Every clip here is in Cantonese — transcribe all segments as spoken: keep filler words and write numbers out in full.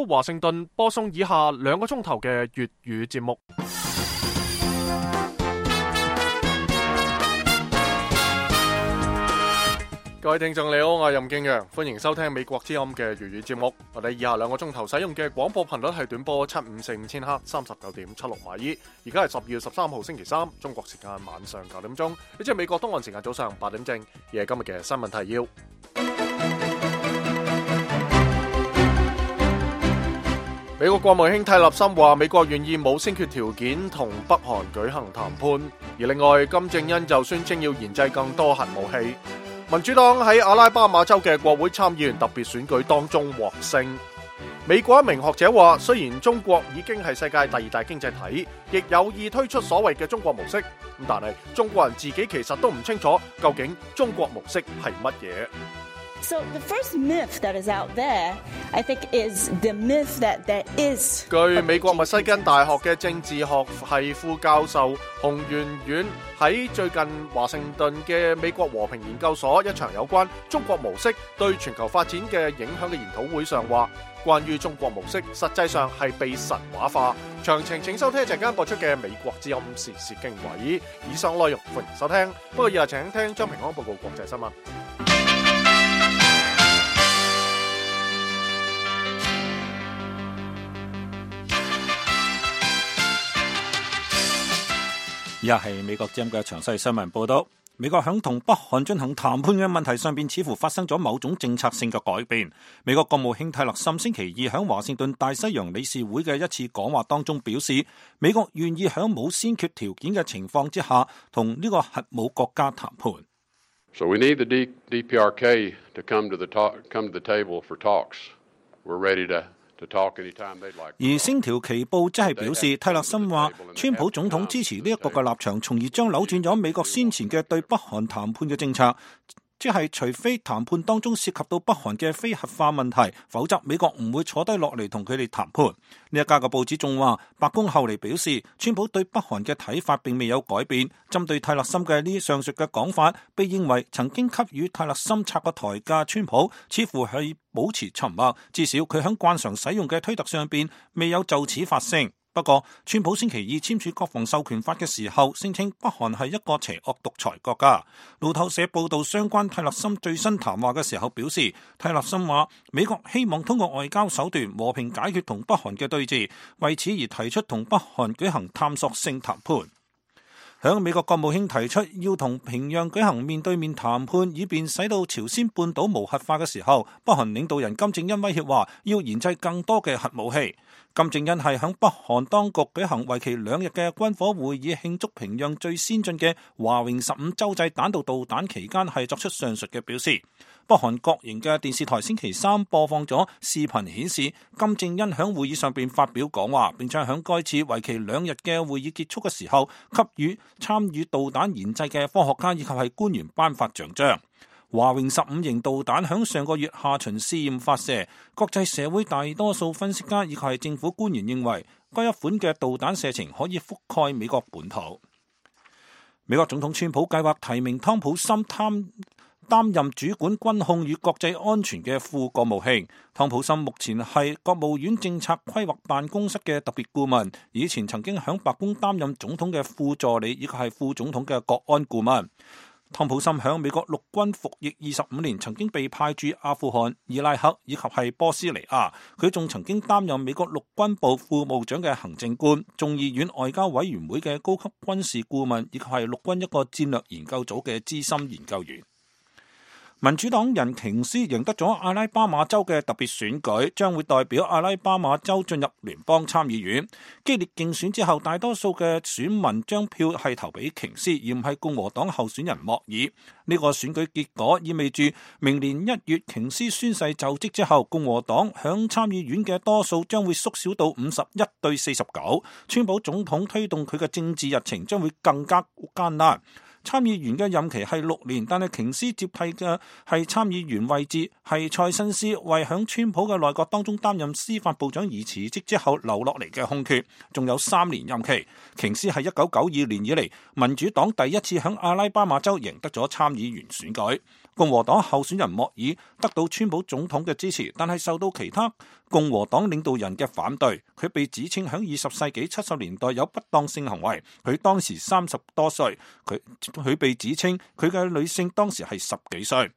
華盛頓播送以下兩個鐘頭嘅粵語節目。各位聽眾你好，我係任敬陽，歡迎收聽美國之音嘅粵語節目。我哋以下兩個鐘頭使用嘅廣播頻率係短波七五四五千赫，三十九點七六馬爾。而家係十二月十三號星期三，中國時間晚上九點鐘，呢即係美國東岸時間早上八點正。而係今日嘅新聞提要。美國國務卿蒂勒森話，美國願意冇先決條件同北韓舉行談判。而另外，金正恩就宣稱要研製更多核武器。民主黨喺阿拉巴馬州嘅國會參議員特別選舉當中獲勝。美國一名學者話，雖然中國已經係世界第二大經濟體，亦有意推出所謂嘅中國模式，咁但係中國人自己其實都唔清楚究竟中國模式係乜嘢。So the first myth that is out there, I think, is the myth that there is. 據美國密西根大學嘅政治學系副教授洪元遠喺最近華盛頓嘅美國和平研究所一場有關中國模式對全球發展嘅影響嘅研討會上話，關於中國模式實際上係被神話化。詳情請收聽一陣間播出嘅美國之音時事經緯。以上內容歡迎收聽，不過以下請聽張平安報告國際新聞。以下係美國之音嘅詳細新聞報道。美國響同北韓進行談判嘅問題上邊，似乎發生咗某種政策性嘅改變。美國國務卿蒂勒森星期二響華盛頓大西洋理事會嘅一次講話當中表示，美國願意響冇先決條件嘅情況之下，同呢個核武國家談判。So we need the D P R K to come to the talk, come to the table for talks. We're ready to.而星條旗報即係表示，蒂勒森話，川普總統支持呢一個嘅立場，從而將扭轉咗美國先前嘅對北韓談判嘅政策，即係除非談判當中涉及到北韓嘅非核化問題，否則美國唔會坐低落嚟同佢哋談判。呢一家嘅報紙仲話，白宮後嚟表示，川普對北韓嘅睇法並未有改變。針對蒂勒森嘅呢上述嘅講法，被認為曾經給予蒂勒森插個台嘅川普，似乎係保持沉默，至少佢喺慣常使用嘅推特上邊未有就此發聲。不過，川普星期二簽署國防授權法嘅時候，聲稱北韓係一個邪惡獨裁國家。路透社報道相關蒂勒森最新談話嘅時候表示，蒂勒森話美國希望通過外交手段和平解決同北韓嘅對峙，為此而提出同北韓舉行探索性談判。響美國國務卿提出要同平壤舉行面對面談判，以便使到朝鮮半島無核化嘅時候，北韓領導人金正恩威脅話要研製更多嘅核武器。金正恩係響北韓當局舉行為期兩日嘅軍火會議，慶祝平壤最先進嘅華榮十五洲際彈道導彈期間，係作出上述嘅表示。北韓國營嘅電視台星期三播放咗視頻顯示，金正恩響會議上邊發表講話，並且響該次為期兩日嘅會議結束嘅時候，給予參與導彈研製嘅科學家以及係官員頒發獎章。華榮十五型導彈響上個月下旬試驗發射，國際社會大多數分析家以及係政府官員認為，該一款嘅導彈射程可以覆蓋美國本土。美國總統川普計劃提名湯普森擔擔任主管軍控與國際安全嘅副國務卿。湯普森目前係國務院政策規劃辦公室嘅特別顧問，以前曾經響白宮擔任總統嘅副助理以及係副總統嘅國安顧問。湯普森響美國陸軍服役二十五年，曾經被派駐阿富汗、伊拉克以及係波斯尼亞。佢仲曾經擔任美國陸軍部副部長嘅行政官、眾議院外交委員會嘅高級軍事顧問，以及係陸軍一個戰略研究組嘅資深研究員。民主黨人瓊斯贏得咗阿拉巴馬州嘅特別選舉，將會代表阿拉巴馬州進入聯邦參議院。激烈競選之後，大多數嘅選民將票係投俾瓊斯，而唔係共和黨候選人莫爾。呢個選舉結果意味住明年一月瓊斯宣誓就職之後，共和黨響參議院嘅多數將會縮小到五十一對四十九。川普總統推動佢嘅政治日程將會更加艱難。參議員嘅任期係六年，但係瓊斯接替嘅係參議員位置係蔡新斯，為響川普嘅內閣當中擔任司法部長而辭職之後留落嚟嘅空缺，仲有三年任期。瓊斯係一九九二年以嚟民主黨第一次響阿拉巴馬州贏得咗參議員選舉。共和黨候選人莫爾得到川普總統嘅支持，但係受到其他共和黨領導人嘅反對。佢被指稱喺二十世紀七十年代有不當性行為，佢當時三十多歲，佢佢被指稱佢嘅女性當時係十幾歲。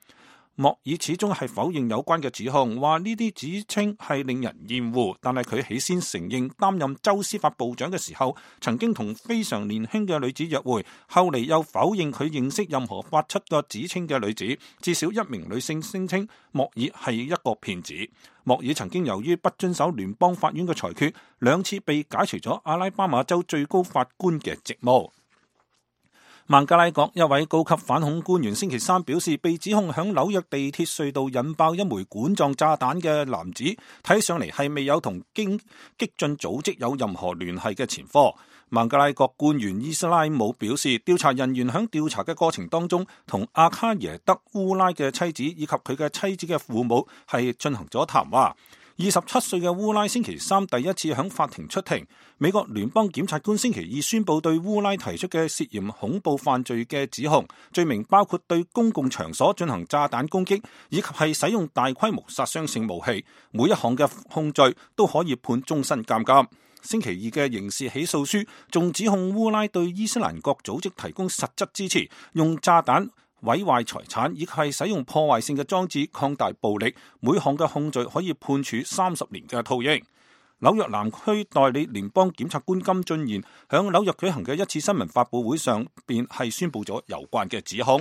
莫爾始終係否認有關嘅指控，話呢啲指稱係令人厭惡，但係佢起先承認擔任州司法部長嘅時候曾經同非常年輕嘅女子約會，後嚟又否認佢認識任何發出個指稱嘅女子。至少一名女性聲稱莫爾係一個騙子。莫爾曾經由於不遵守聯邦法院嘅裁決，兩次被解除咗阿拉巴馬州最高法官嘅職務。孟加拉國一位高級反恐官員星期三表示，被指控響紐約地鐵隧道引爆一枚管狀炸彈嘅男子，睇上嚟係未有同激激進組織有任何聯繫嘅前科。孟加拉國官員伊斯拉姆表示，調查人員響調查嘅過程當中，同阿卡耶德烏拉嘅妻子以及佢嘅妻子嘅父母係進行咗談話。二十七歲嘅烏拉星期三第一次響法庭出庭。美國聯邦檢察官星期二宣布對烏拉提出嘅涉嫌恐怖犯罪嘅指控，罪名包括對公共場所進行炸彈攻擊，以及係使用大規模殺傷性武器。每一項嘅控罪都可以判終身監禁。星期二嘅刑事起訴書仲指控烏拉對伊斯蘭國組織提供實質支持，用炸彈毀壞財產，以及係使用破壞性嘅裝置擴大暴力。每項嘅控罪可以判處三十年嘅套刑。紐約南區代理聯邦檢察官金俊賢響紐約舉行嘅一次新聞發佈會上便係宣布咗有關嘅指控。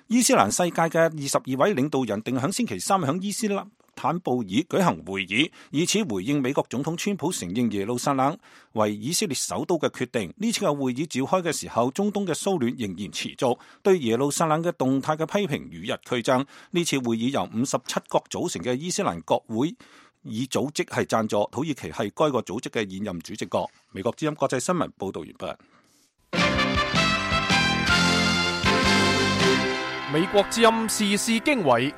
伊斯蘭世界嘅二十二位領導人定響星期三響伊斯坦布爾舉行會議，以此回應美國總統川普承認耶路撒冷為以色列首都嘅決定。呢次嘅會議召開嘅時候，中東嘅騷亂仍然持續，對耶路撒冷嘅動態嘅批評與日俱增。呢次會議由五十七國組成嘅伊斯蘭國會以組織係贊助，土耳其係該個組織嘅現任主席國。美國之音國際新聞報道完畢。美國之音時事經緯，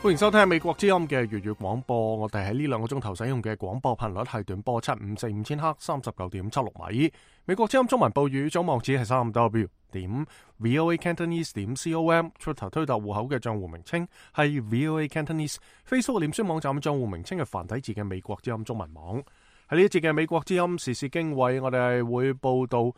歡迎收聽美國之音嘅粵語廣播。我哋喺呢兩個鐘頭使用嘅廣播頻率係短波七五四五千赫，三十九點七六米。美國之音中文報語總網址係三 W 點 VOA Cantonese 點 com，Twitter 推特戶口嘅賬戶名稱係 VOA Cantonese，Facebook 臉書網站賬戶名稱係繁體字嘅美國之音中文網。喺呢一節嘅美國之音時事經緯，我哋係會報道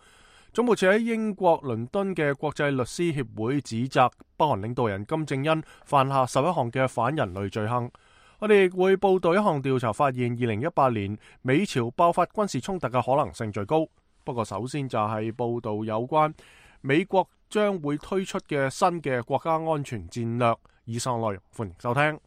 總部設喺英國倫敦嘅國際律師協會指責北韓領導人金正恩犯下十一項嘅反人類罪行。我哋亦會報道一項調查發現，二零一八年美朝爆發軍事衝突嘅可能性最高。不過首先就係報道有關美國將會推出嘅新嘅國家安全戰略。以上內容歡迎收聽。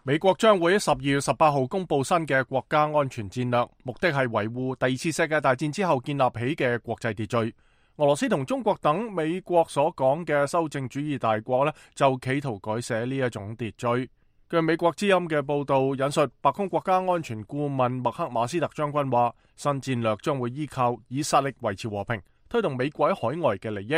美國將會喺十二月十八號公布新嘅國家安全戰略，目的係維護第二次世界大戰之後建立起嘅國際秩序。俄羅斯同中國等美國所講嘅修正主義大國呢，就企圖改寫呢一種秩序。據美國之音嘅報道引述白宮國家安全顧問麥克馬斯特將軍話，新戰略將會依靠以實力維持和平，推動美國喺海外嘅利益。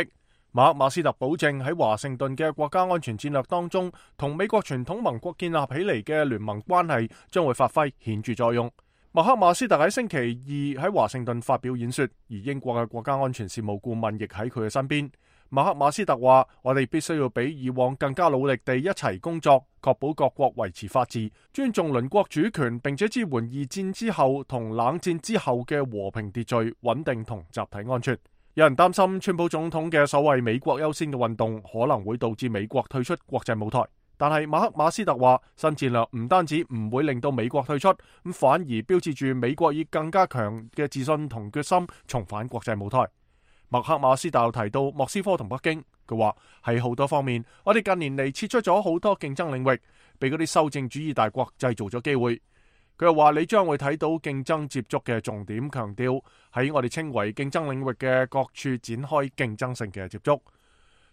馬克馬斯特保證喺華盛頓嘅國家安全戰略當中，同美國傳統盟國建立起嚟嘅聯盟關係將會發揮顯著作用。麥克馬斯特喺星期二喺華盛頓發表演說，而英國嘅國家安全事務顧問亦喺佢嘅身邊。麥克馬斯特話：我哋必須要比以往更加努力地一齊工作，確保各國維持法治，尊重鄰國主權，並且支援二戰之後同冷戰之後嘅和平秩序、穩定同集體安全。有人擔心川普總統嘅所謂美國優先嘅運動可能會導致美國退出國際舞台。但係馬克馬斯特話，新戰略唔單止唔會令到美國退出，咁反而標誌住美國以更加強嘅自信同決心重返國際舞台。麥克馬斯特又提到莫斯科同北京，佢話喺好多方面，我哋近年嚟撤出咗好多競爭領域，俾嗰啲修正主義大國製造咗機會。佢又話你將會睇到競爭接觸嘅重點，強調喺我哋稱為競爭領域嘅各處展開競爭性嘅接觸。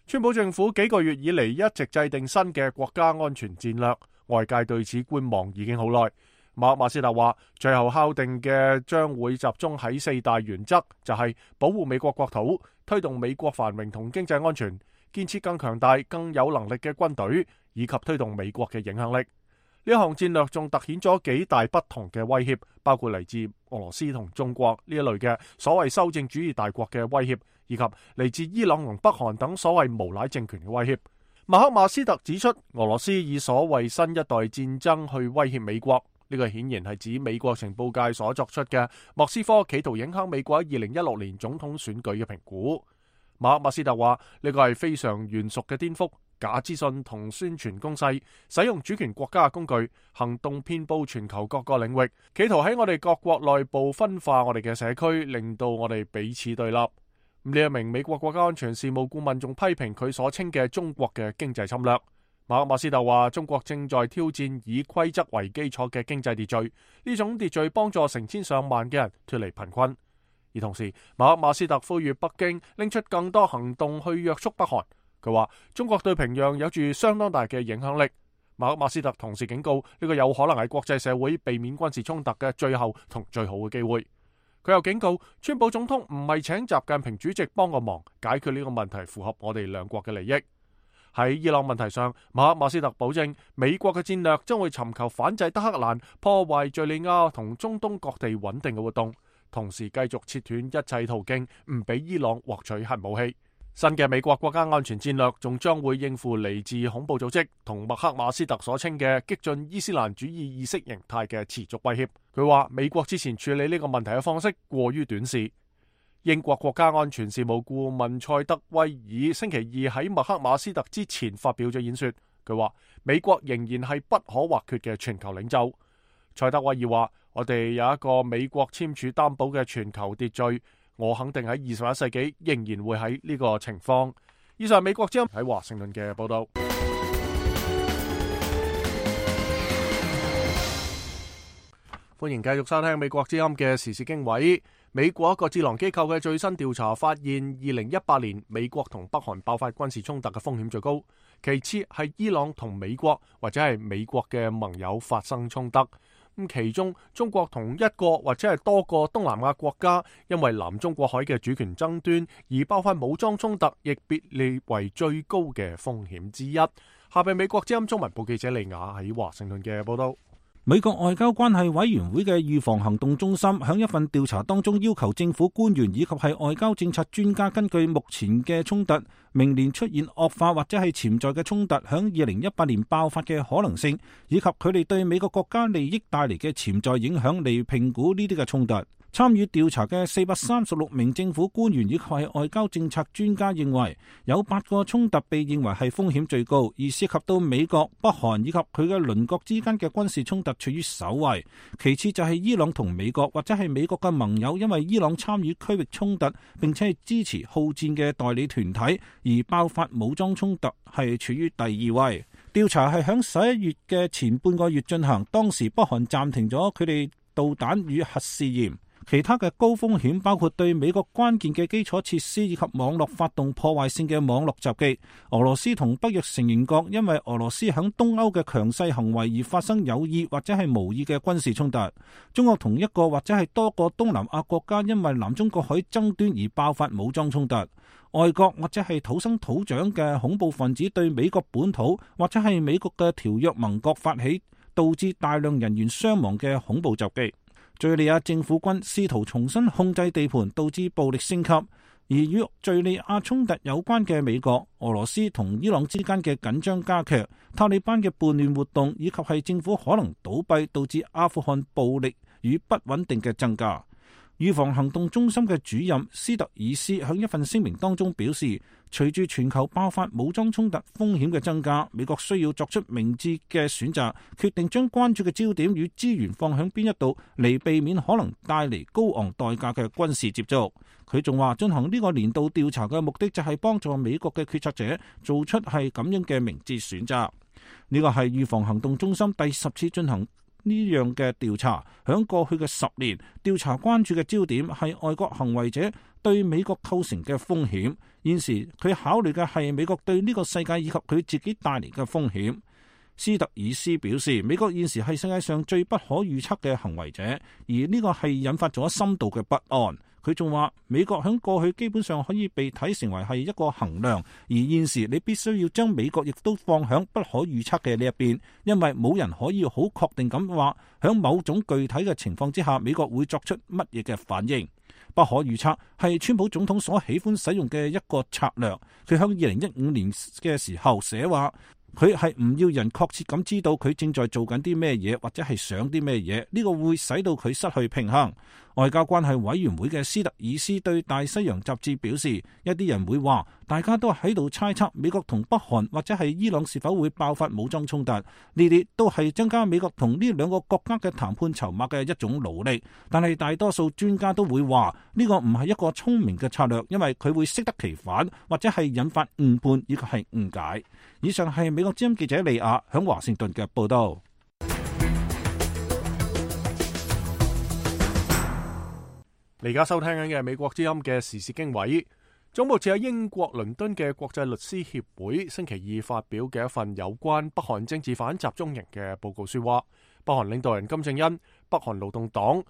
川普政府幾個月以嚟一直制定新嘅國家安全戰略，外界對此觀望已經好耐。馬克馬斯特話，最後敲定嘅將會集中喺四大原則，就係保護美國國土、推動美國繁榮同經濟安全、建設更強大、更有能力嘅軍隊，以及推動美國嘅影響力。呢項戰略仲凸顯咗幾大不同嘅威脅，包括嚟自俄羅斯同中國呢一類嘅所謂修正主義大國嘅威脅，以及嚟自伊朗同北韓等所謂無賴政權嘅威脅。馬克馬斯特指出，俄羅斯以所謂新一代戰爭去威脅美國，呢個顯然係指美國情報界所作出嘅莫斯科企圖影響美國喺二零一六年總統選舉嘅評估。馬克馬斯特話，呢個係非常懸殊嘅顛覆，假資訊同宣傳攻勢，使用主權國家嘅工具，行動遍佈全球各個領域，企圖喺我哋各國內部分化我哋嘅社區，令到我哋彼此對立。呢一名美國國家安全事務顧問仲批評佢所稱嘅中國嘅經濟侵略。馬克馬斯特話，中國正在挑戰以規則為基礎嘅經濟秩序，呢種秩序幫助成千上萬嘅人脫離貧困。而同時，馬克馬斯特呼籲北京拎出更多行動去約束北韓。佢話中國對平壤有住相當大嘅影響力。馬克馬斯特同時警告，呢個有可能係國際社會避免軍事衝突嘅最後同最好嘅機會。佢又警告，川普總統唔係請習近平主席幫個忙解決呢個問題，符合我哋兩國嘅利益。喺伊朗問題上，馬克馬斯特保證美國嘅戰略將會尋求反制德黑蘭，破壞敘利亞同中東各地穩定嘅活動，同時繼續切斷一切途徑，唔俾伊朗獲取核武器。新嘅美國國家安全戰略仲將會應付嚟自恐怖組織同麥克馬斯特所稱嘅激進伊斯蘭主義意識形態嘅持續威脅。佢話美國之前處理呢個問題嘅方式過於短視。英國國家安全事務顧問塞德威爾星期二喺麥克馬斯特之前發表咗演說，佢話美國仍然係不可或缺嘅全球領袖。塞德威爾話，我哋有一個美國簽署擔保嘅全球秩序，我肯定喺二十一世紀仍然會喺呢個情況。以上美國之音喺華盛頓嘅報道。歡迎繼續收聽美國之音嘅時事經緯。美國一個智囊機構嘅最新調查發現，二零一八年美國同北韓爆發軍事衝突嘅風險最高，其次係伊朗同美國或者係美國嘅盟友發生衝突。咁其中中國同一個或者係多個東南亞國家因為南中國海嘅主權爭端而爆發武裝衝突，亦被列為最高嘅風險之一。下邊美國之音中文部記者利亞喺華盛頓嘅報道。美國外交關係委員會嘅預防行動中心響一份調查當中要求政府官員以及係外交政策專家根據目前嘅衝突，明年出現惡化或者係潛在嘅衝突響二零一八年爆發嘅可能性，以及佢哋對美國國家利益帶嚟嘅潛在影響嚟評估呢啲嘅衝突。參與調查嘅四百三十六名政府官員以及係外交政策專家認為，有八個衝突被認為係風險最高，而涉及到美國、北韓以及佢嘅鄰國之間嘅軍事衝突處於首位，其次就係伊朗同美國或者係美國嘅盟友因為伊朗參與區域衝突並且係支持好戰嘅代理團體而爆發武裝衝突係處於第二位。調查係響十一月嘅前半個月進行，當時北韓暫停咗佢哋導彈與核試驗。其他嘅高風險包括對美國關鍵嘅基礎設施以及網絡發動破壞性嘅網絡襲擊。俄羅斯同北約成員國因為俄羅斯響東歐嘅強勢行為而發生有意或者係無意嘅軍事衝突。中國同一個或者係多個東南亞國家因為南中國海爭端而爆發武裝衝突。外國或者係土生土長嘅恐怖分子對美國本土或者係美國嘅條約盟國發起，導致大量人員傷亡嘅恐怖襲擊。敘利亞政府軍試圖重新控制地盤，導致暴力升級。而與敘利亞衝突有關嘅美國、俄羅斯同伊朗之間嘅緊張加劇，塔利班嘅叛亂活動以及係政府可能倒閉，導致阿富汗暴力與不穩定嘅增加。預防行動中心嘅主任斯特爾斯喺一份聲明當中表示，隨住全球爆發武裝衝突風險嘅增加，美國需要作出明智嘅選擇，決定將關注嘅焦點與資源放喺邊一度，嚟避免可能帶嚟高昂代價嘅軍事接觸。佢仲話，進行呢個年度調查嘅目的就係幫助美國嘅決策者做出係咁樣嘅明智選擇。呢個係預防行動中心第十次進行呢樣嘅調查。響過去嘅十年，調查關注嘅焦點係外國行為者對美國構成嘅風險。現時佢考慮嘅係美國對呢個世界以及佢自己帶嚟嘅風險。斯特爾斯表示，美國現時係世界上最不可預測嘅行為者，而呢個係引發咗深度嘅不安。佢仲話，美國喺過去基本上可以被睇成為係一個衡量，而現時你必須要將美國亦都放響不可預測嘅呢一邊，因為冇人可以好確定咁話響某種具體嘅情況之下，美國會作出乜嘢嘅反應。不可預測，係川普總統所喜歡使用嘅一個策略。佢喺二零一五年嘅時候寫話，佢係唔要人確切咁知道佢正在做緊啲咩嘢，或者係想啲咩嘢，呢個會使到佢失去平衡。外交關係委員會嘅斯特爾斯對大西洋雜誌表示，一啲人會話，大家都喺度猜測美國同北韓或者係伊朗是否會爆發武裝衝突，呢啲都係增加美國同呢兩個國家嘅談判籌碼嘅一種努力。但係大多數專家都會話，呢個唔係一個聰明嘅策略，因為佢會適得其反，或者係引發誤判以及係誤解。以上係美國之音記者利亞響華盛頓嘅報道。你而家收聽緊嘅美國之音嘅時事經緯，總部設喺英國倫敦嘅國際律師協會星期二發表嘅一份有關北韓政治犯集中營嘅報告書話，北韓領導人金正恩、北韓勞動黨、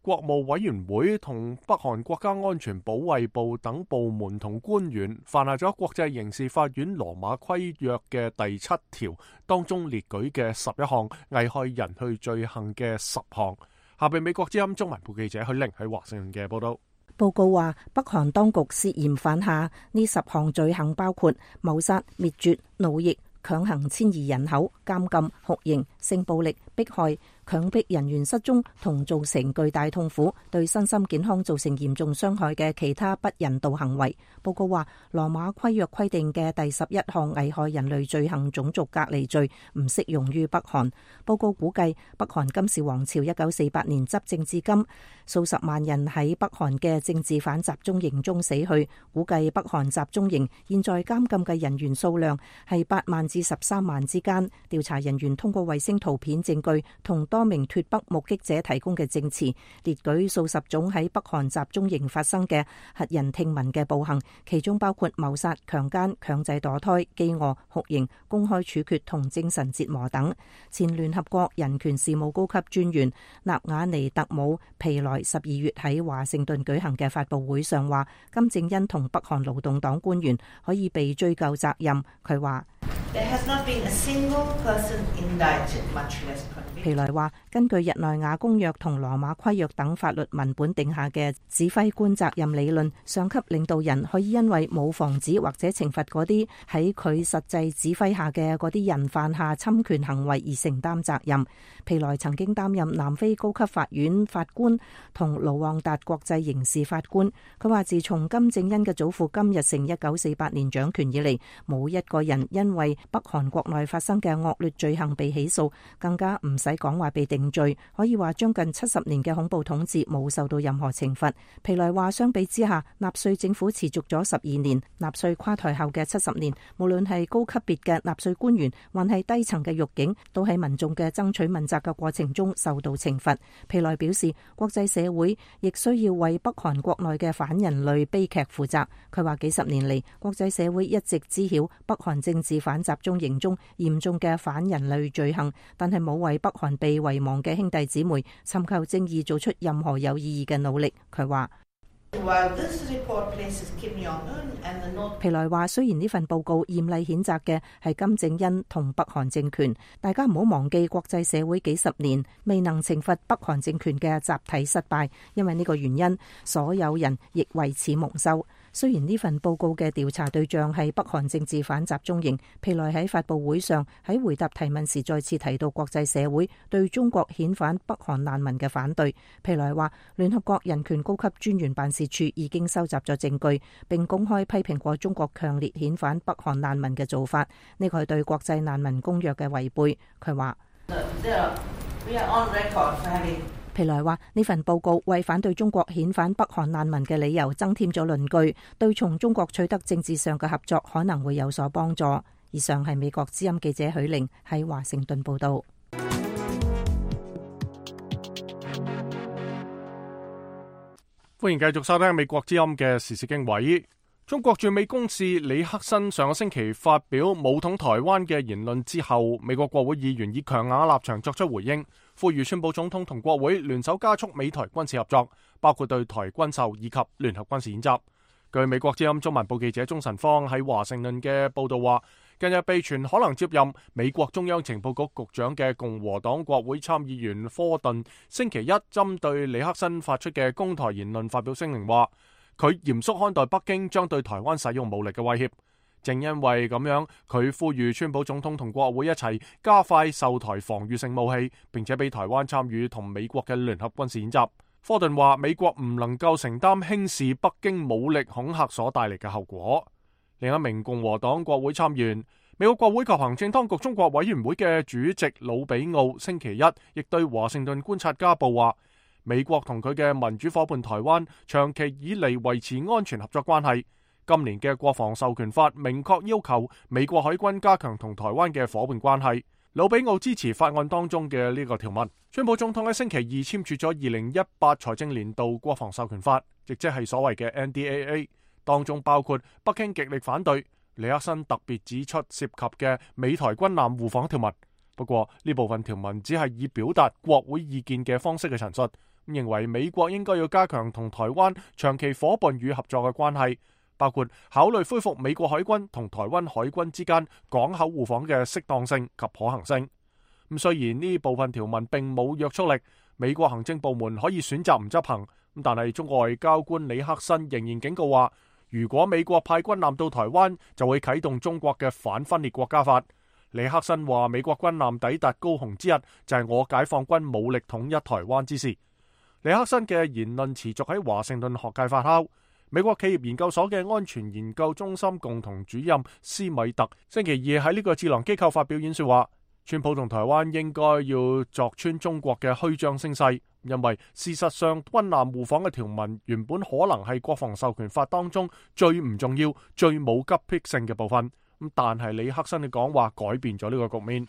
國務委員會同北韓國家安全保衛部等部門同官員犯下咗國際刑事法院羅馬規約嘅第七條當中列舉嘅十一項危害人類罪行嘅十項。下邊美國之音中文部記者許玲喺華盛頓嘅報道。報告話，北韓當局涉嫌犯下呢十項罪行，包括謀殺、滅絕、奴役、強行遷移人口、監禁、酷刑、性暴力、迫害、強迫人員失蹤同造成巨大痛苦、對身心健康造成嚴重傷害嘅其他不人道行為。報告話，羅馬規約規定嘅第十一項危害人類罪行種族隔離罪唔適用於北韓。報告估計，北韓金氏王朝一九四八年執政至今，數十萬人喺北韓嘅政治犯集中營中死去。估計北韓集中營現在監禁嘅人員數量係八萬至十三萬之間。調查人員通過衛星圖片證據同多名脫北目擊者提供嘅證詞，列舉數十種喺北韓集中營發生嘅駭人聽聞嘅暴行，其中包括謀殺、強姦、強制墮胎、飢餓、酷刑、公開處決同精神折磨等。前聯合國人權事務高級專員納瓦尼特姆皮萊十二月喺華盛頓舉行嘅發佈會上話，金正恩同北韓勞動黨官員可以被追究責任。佢話，皮萊話，根據日內瓦公約同羅馬規約等法律文本定下嘅指揮官責任理論，上級領導人可以因為冇防止或者懲罰嗰啲喺佢實際指揮下嘅嗰啲人犯下侵權行為而承擔責任。皮萊曾經擔任南非高級法院法官同盧旺達國際刑事法官。佢話，自從金正恩嘅祖父金日成一九四八年掌權以嚟，冇一個人因為北韓國內發生嘅惡劣罪行被起訴，更加唔使講話被定罪。可以話將近七十年嘅恐怖統治冇受到任何懲罰。皮萊話，相比之下，納粹政府持續咗十二年，納粹垮台後嘅七十年，無論係高級別嘅納粹官員，還係低層嘅獄警，都喺民眾嘅爭取問責嘅過程中受到懲罰。皮萊表示，國際社會亦需要為北韓國內嘅反人類悲劇負責。佢話，幾十年嚟，國際社會一直知曉北韓政治犯集中營中嚴重嘅反人類罪行，但係冇為北韓被遺忘嘅兄弟姊妹尋求正義做出任何有意義嘅努力。佢話，皮萊話，雖然呢份報告嚴厲譴責嘅係金正恩同北韓政權，大家唔好忘記國際社會幾十年未能懲罰北韓政權嘅集體失敗，因為呢個原因，所有人亦為此蒙羞。雖然呢份報告嘅調查對象係北韓政治犯集中營，皮萊喺發佈會上喺回答提問時再次提到國際社會對中國遣返北韓難民嘅反對。皮萊話，聯合國人權高級專員辦事處已經收集咗證據，並公開批評過中國強烈遣返北韓難民嘅做法，呢個係對國際難民公約嘅違背。佢話，皮萊話，呢份報告為反對中國遣返北韓難民嘅理由增添咗論據，對從中國取得政治上嘅合作可能會有所幫助。以上係美國之音記者許玲喺華盛頓報道。歡迎繼續收聽美國之音嘅時事經緯。中國駐美公使李克辛上個星期發表武統台灣嘅言論之後，美國國會議員以強硬立場作出回應，呼籲川普總統同國會聯手加速美台軍事合作，包括對台軍售以及聯合軍事演習。據美國之音中文部記者鍾晨芳喺華盛頓嘅報道話，近日被傳可能接任美國中央情報局局長嘅共和黨國會參議員科頓，星期一針對尼克辛發出嘅攻台言論發表聲明，話佢嚴肅看待北京將對台灣使用武力嘅威脅。正因為咁樣，佢呼籲川普總統同國會一齊加快售台防禦性武器，並且俾台灣參與同美國嘅聯合軍事演習。科頓話美國唔能夠承擔輕視北京武力恐嚇所帶嚟嘅後果。另一名共和黨國會參議員、美國國會及行政當局中國委員會嘅主席魯比奧星期一亦對華盛頓觀察家報話，美國同佢嘅民主夥伴台灣長期以嚟維持安全合作關係。今年嘅國防授權法明確要求美國海軍加強同台灣嘅夥伴關係。魯比奧支持法案當中嘅呢個條文。川普總統喺星期二簽署咗二零一八財政年度國防授權法，亦即係所謂嘅 N D A A。當中包括北京極力反對，尼克辛特別指出涉及嘅美台軍艦互訪條文。不過呢部分條文只係以表達國會意見嘅方式嘅陳述，認為美國應該要加強同台灣長期夥伴與合作嘅關係，包括考慮恢復美國海軍同台灣海軍之間港口互訪嘅適當性及可行性。咁雖然呢部分條文並冇約束力，美國行政部門可以選擇唔執行，但係中國外交官李克辛仍然警告話，如果美國派軍艦到台灣，就會啟動中國嘅反分裂國家法。李克辛話，美國軍艦抵達高雄之日，就係我解放軍武力統一台灣之時。李克辛嘅言論持續喺華盛頓學界發酵。美國企業研究所嘅安全研究中心共同主任斯米特星期二喺呢個智囊機構發表演說話，川普同台灣應該要鑿穿中國嘅虛張聲勢，因為事實上軍艦互訪嘅條文原本可能係國防授權法當中最唔重要、最冇急迫性嘅部分。咁但係李克辛嘅講話改變咗呢個局面。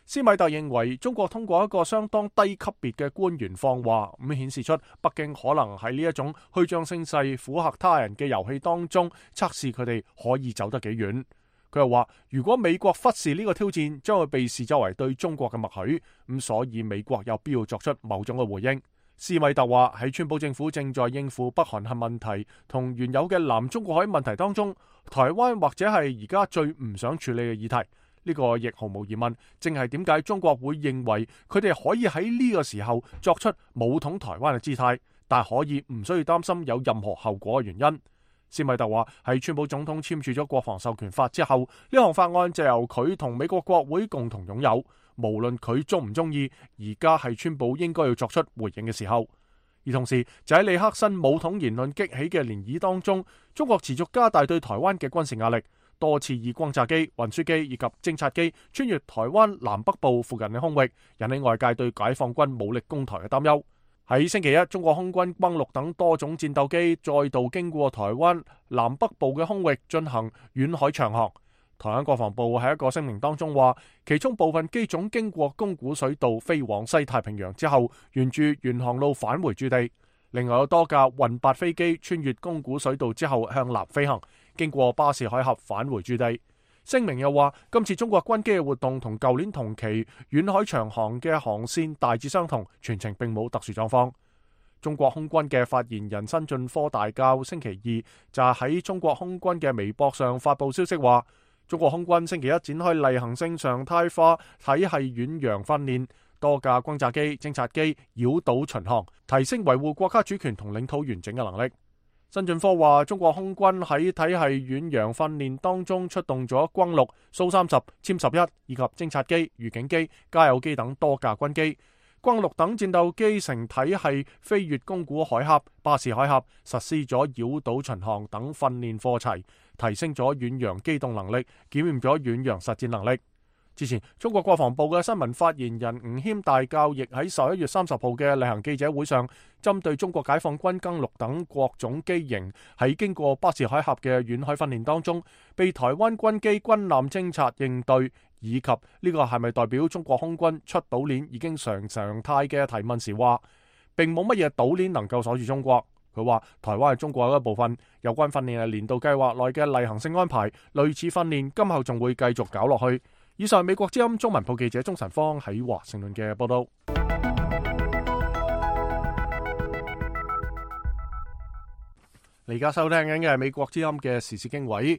斯米特認為中國通過一個相當低級別嘅官員放話，咁顯示出北京可能喺呢一種虛張聲勢、附和他人嘅遊戲當中測試佢哋可以走得幾遠。佢又話，如果美國忽視呢個挑戰，將會被視作為對中國嘅默許，咁所以美國有必要作出某種嘅回應。斯米特話，喺川普政府正在應付北韓核問題同原有嘅南中國海問題當中，台灣或者係而家最唔想處理嘅議題。呢個亦毫無疑問，正係點解中國會認為佢哋可以喺呢個時候作出武統台灣嘅姿態，但可以唔需要擔心有任何後果嘅原因。斯米特話，喺川普總統簽署咗國防授權法之後，呢項法案就由佢同美國國會共同擁有，無論佢中唔中意，而家係川普應該要作出回應嘅時候。而同時就喺尼克辛武統言論激起嘅漣漪當中，中國持續加大對台灣嘅軍事壓力，多次以轟炸機、運輸機以及偵察機穿越台灣南北部附近嘅空域，引起外界對解放軍武力攻台嘅擔憂。喺星期一，中國空軍轟六等多種戰鬥機再度經過台灣南北部嘅空域進行遠海長航。台灣國防部喺一個聲明當中話，其中部分機種經過宮古水道飛往西太平洋之後，沿住原航路返回駐地。另外有多架運八飛機穿越宮古水道之後向南飛行，經過巴士海峽返回駐地。聲明又話，今次中國軍機嘅活動同舊年同期遠海長航嘅航線大致相同，全程並冇特殊狀況。中國空軍嘅發言人辛進科大校星期二就喺中國空軍嘅微博上發布消息話，中國空軍星期一展開例行性常態化體系遠洋訓練，多架轟炸機、偵察機繞島巡航，提升維護國家主權同領土完整嘅能力。辛進科話，中國空軍喺體系遠洋訓練當中出動咗轟六、蘇三十、殲十一以及偵察機、預警機、加油機等多架軍機。轟六等戰鬥機乘體系飛越宮古海峽、巴士海峽，實施咗繞島巡航等訓練課程，提升咗遠洋機動能力，檢驗咗遠洋實戰能力。之前，中國國防部嘅新聞發言人吳謙大校亦喺十一月三十號嘅例行記者會上，針對中國解放軍轟六等各種機型喺經過巴士海峽嘅遠海訓練當中，被台灣軍機軍艦偵察應對，以及呢個係咪代表中國空軍出島鏈已經常常態嘅提問時話，並冇乜嘢島鏈能夠鎖住中國。佢話台灣係中國嘅一部分，有關訓練係年度計劃內嘅例行性安排，類似訓練今後仲會繼續搞落去。以上美國之音中文部記者鍾晨芳喺華盛頓嘅報道。你而家收聽緊嘅係美國之音嘅時事經緯。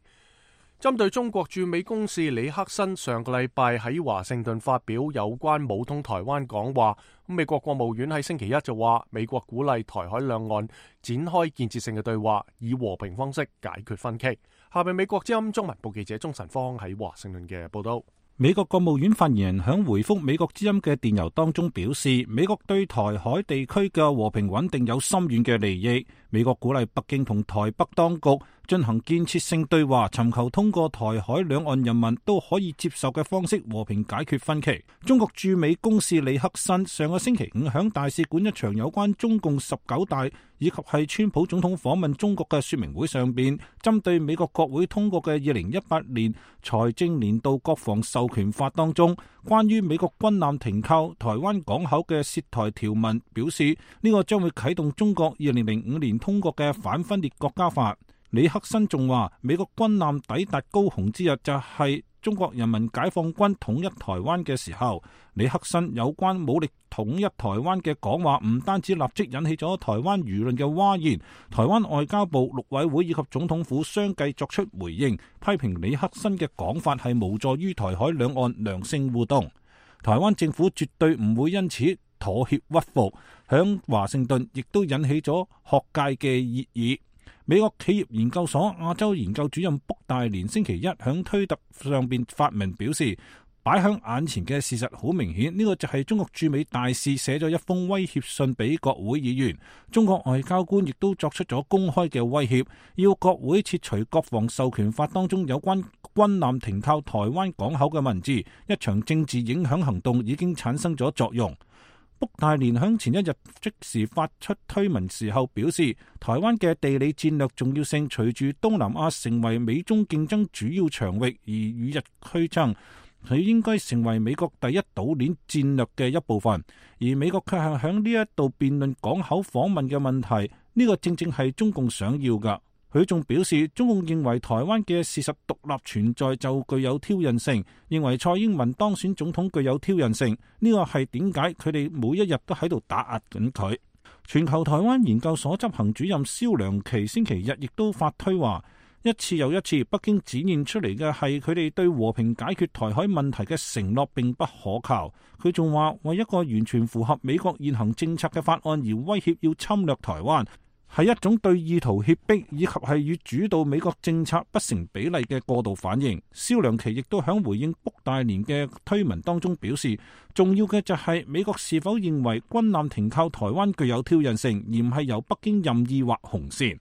針對中國駐美公使李克辛上個禮拜喺華盛頓發表有關武統台灣講話，美國國務院喺星期一就話，美國鼓勵台海兩岸展開建設性嘅對話，以和平方式解決分歧。下面美國之音中文部記者鍾晨芳喺華盛頓嘅報道。美國國務院發言人響回覆美國之音嘅電郵當中表示，美國對台海地區嘅和平穩定有深遠嘅利益。美國鼓勵北京同台北當局進行建設性對話，尋求通過台海兩岸人民都可以接受嘅方式和平解決分歧。中國駐美公使李克辛上個星期五響大使館一場有關中共十九大以及係川普總統訪問中國嘅說明會上邊，針對美國國會通過嘅二零一八年財政年度國防授權法當中關於美國軍艦停靠台灣港口嘅涉台條文，表示呢個將會啟動中國二零零五年通過嘅反分裂國家法。李克辛仲話，美國軍艦抵達高雄之日就係中國人民解放軍統一台灣嘅時候。李克辛有關武力統一台灣嘅講話，唔單止立即引起咗台灣輿論嘅譁然，台灣外交部、陸委會以及總統府相繼作出回應，批評李克辛嘅講法係無助於台海兩岸良性互動。台灣政府絕對唔會因此妥協屈服，響華盛頓亦都引起咗學界嘅熱議。美國企業研究所亞洲研究主任卜大連星期一響推特上邊發文表示，擺響眼前嘅事實好明顯，呢個就係中國駐美大使寫咗一封威脅信俾國會議員，中國外交官亦都作出咗公開嘅威脅，要國會撤除國防授權法當中有關軍艦停靠台灣港口嘅文字。一場政治影響行動已經產生咗作用。卜大連響前一日即時發出推文時候表示，台灣嘅地理戰略重要性隨住東南亞成為美中競爭主要場域而與日俱增，佢應該成為美國第一島鏈戰略嘅一部分。而美國卻係響呢一度辯論港口訪問嘅問題，呢個正正係中共想要㗎。佢仲表示，中共認為台灣嘅事實獨立存在就具有挑釁性，認為蔡英文當選總統具有挑釁性。呢個係點解佢哋每一日都喺度打壓緊佢。全球台灣研究所執行主任蕭良琪星期日亦都發推話，一次又一次，北京展現出嚟嘅係佢哋對和平解決台海問題嘅承諾並不可靠。佢仲話，為一個完全符合美國現行政策嘅法案而威脅要侵略台灣，係一種對意圖脅迫以及係與主導美國政策不成比例嘅過度反應。蕭良琪亦都響回應卜大連嘅推文當中表示，重要嘅就係美國是否認為軍艦停靠台灣具有挑釁性，而唔係由北京任意劃紅線。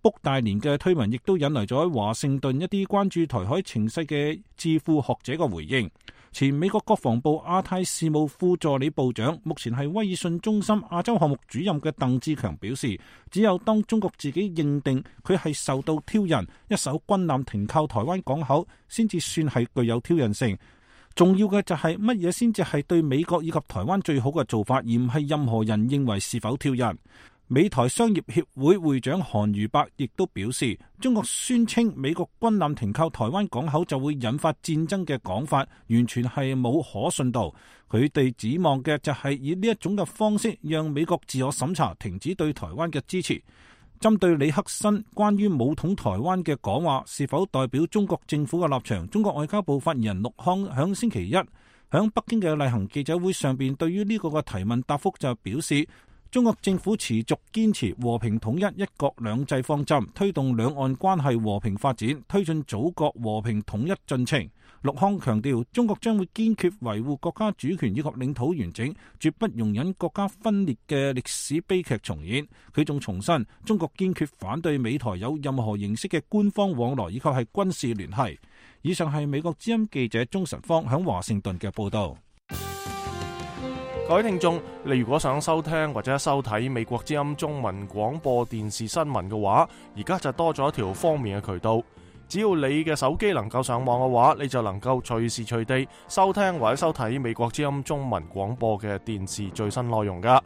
卜大連嘅推文亦都引嚟咗華盛頓一啲關注台海情勢嘅智庫學者嘅回應。前美國國防部亞太事務副助理部長，目前係威爾遜中心亞洲項目主任嘅鄧志強表示，只有當中國自己認定佢係受到挑釁，一艘軍艦停靠台灣港口，先至算係具有挑釁性。重要嘅就係乜嘢先至係對美國以及台灣最好嘅做法，而唔係任何人認為是否挑釁。美台商業協會會長韓如伯亦都表示，中國宣稱美國軍艦停靠台灣港口就會引發戰爭嘅講法，完全係冇可信度。佢哋指望嘅就係以呢一種嘅方式，讓美國自我審查，停止對台灣嘅支持。針對李克辛關於武統台灣嘅講話，是否代表中國政府嘅立場？中國外交部發言人陸康響星期一響北京嘅例行記者會上邊，對於呢個嘅提問答覆就表示，中國政府持續堅持和平統一、一國兩制方針，推動兩岸關係和平發展，推進祖國和平統一進程。陸康強調，中國將會堅決維護國家主權以及領土完整，絕不容忍國家分裂嘅歷史悲劇重演。佢仲重申，中國堅決反對美台有任何形式嘅官方往來以及係軍事聯繫。以上係美國之音記者鍾晨芳響華盛頓嘅報道。各位聽眾，你如果想收聽或者收睇美國之音中文廣播電視新聞嘅話，而家就多咗一條方便嘅渠道。只要你嘅手機能夠上網嘅話，你就能夠隨時隨地收聽或者收睇美國之音中文廣播嘅電視最新內容噶。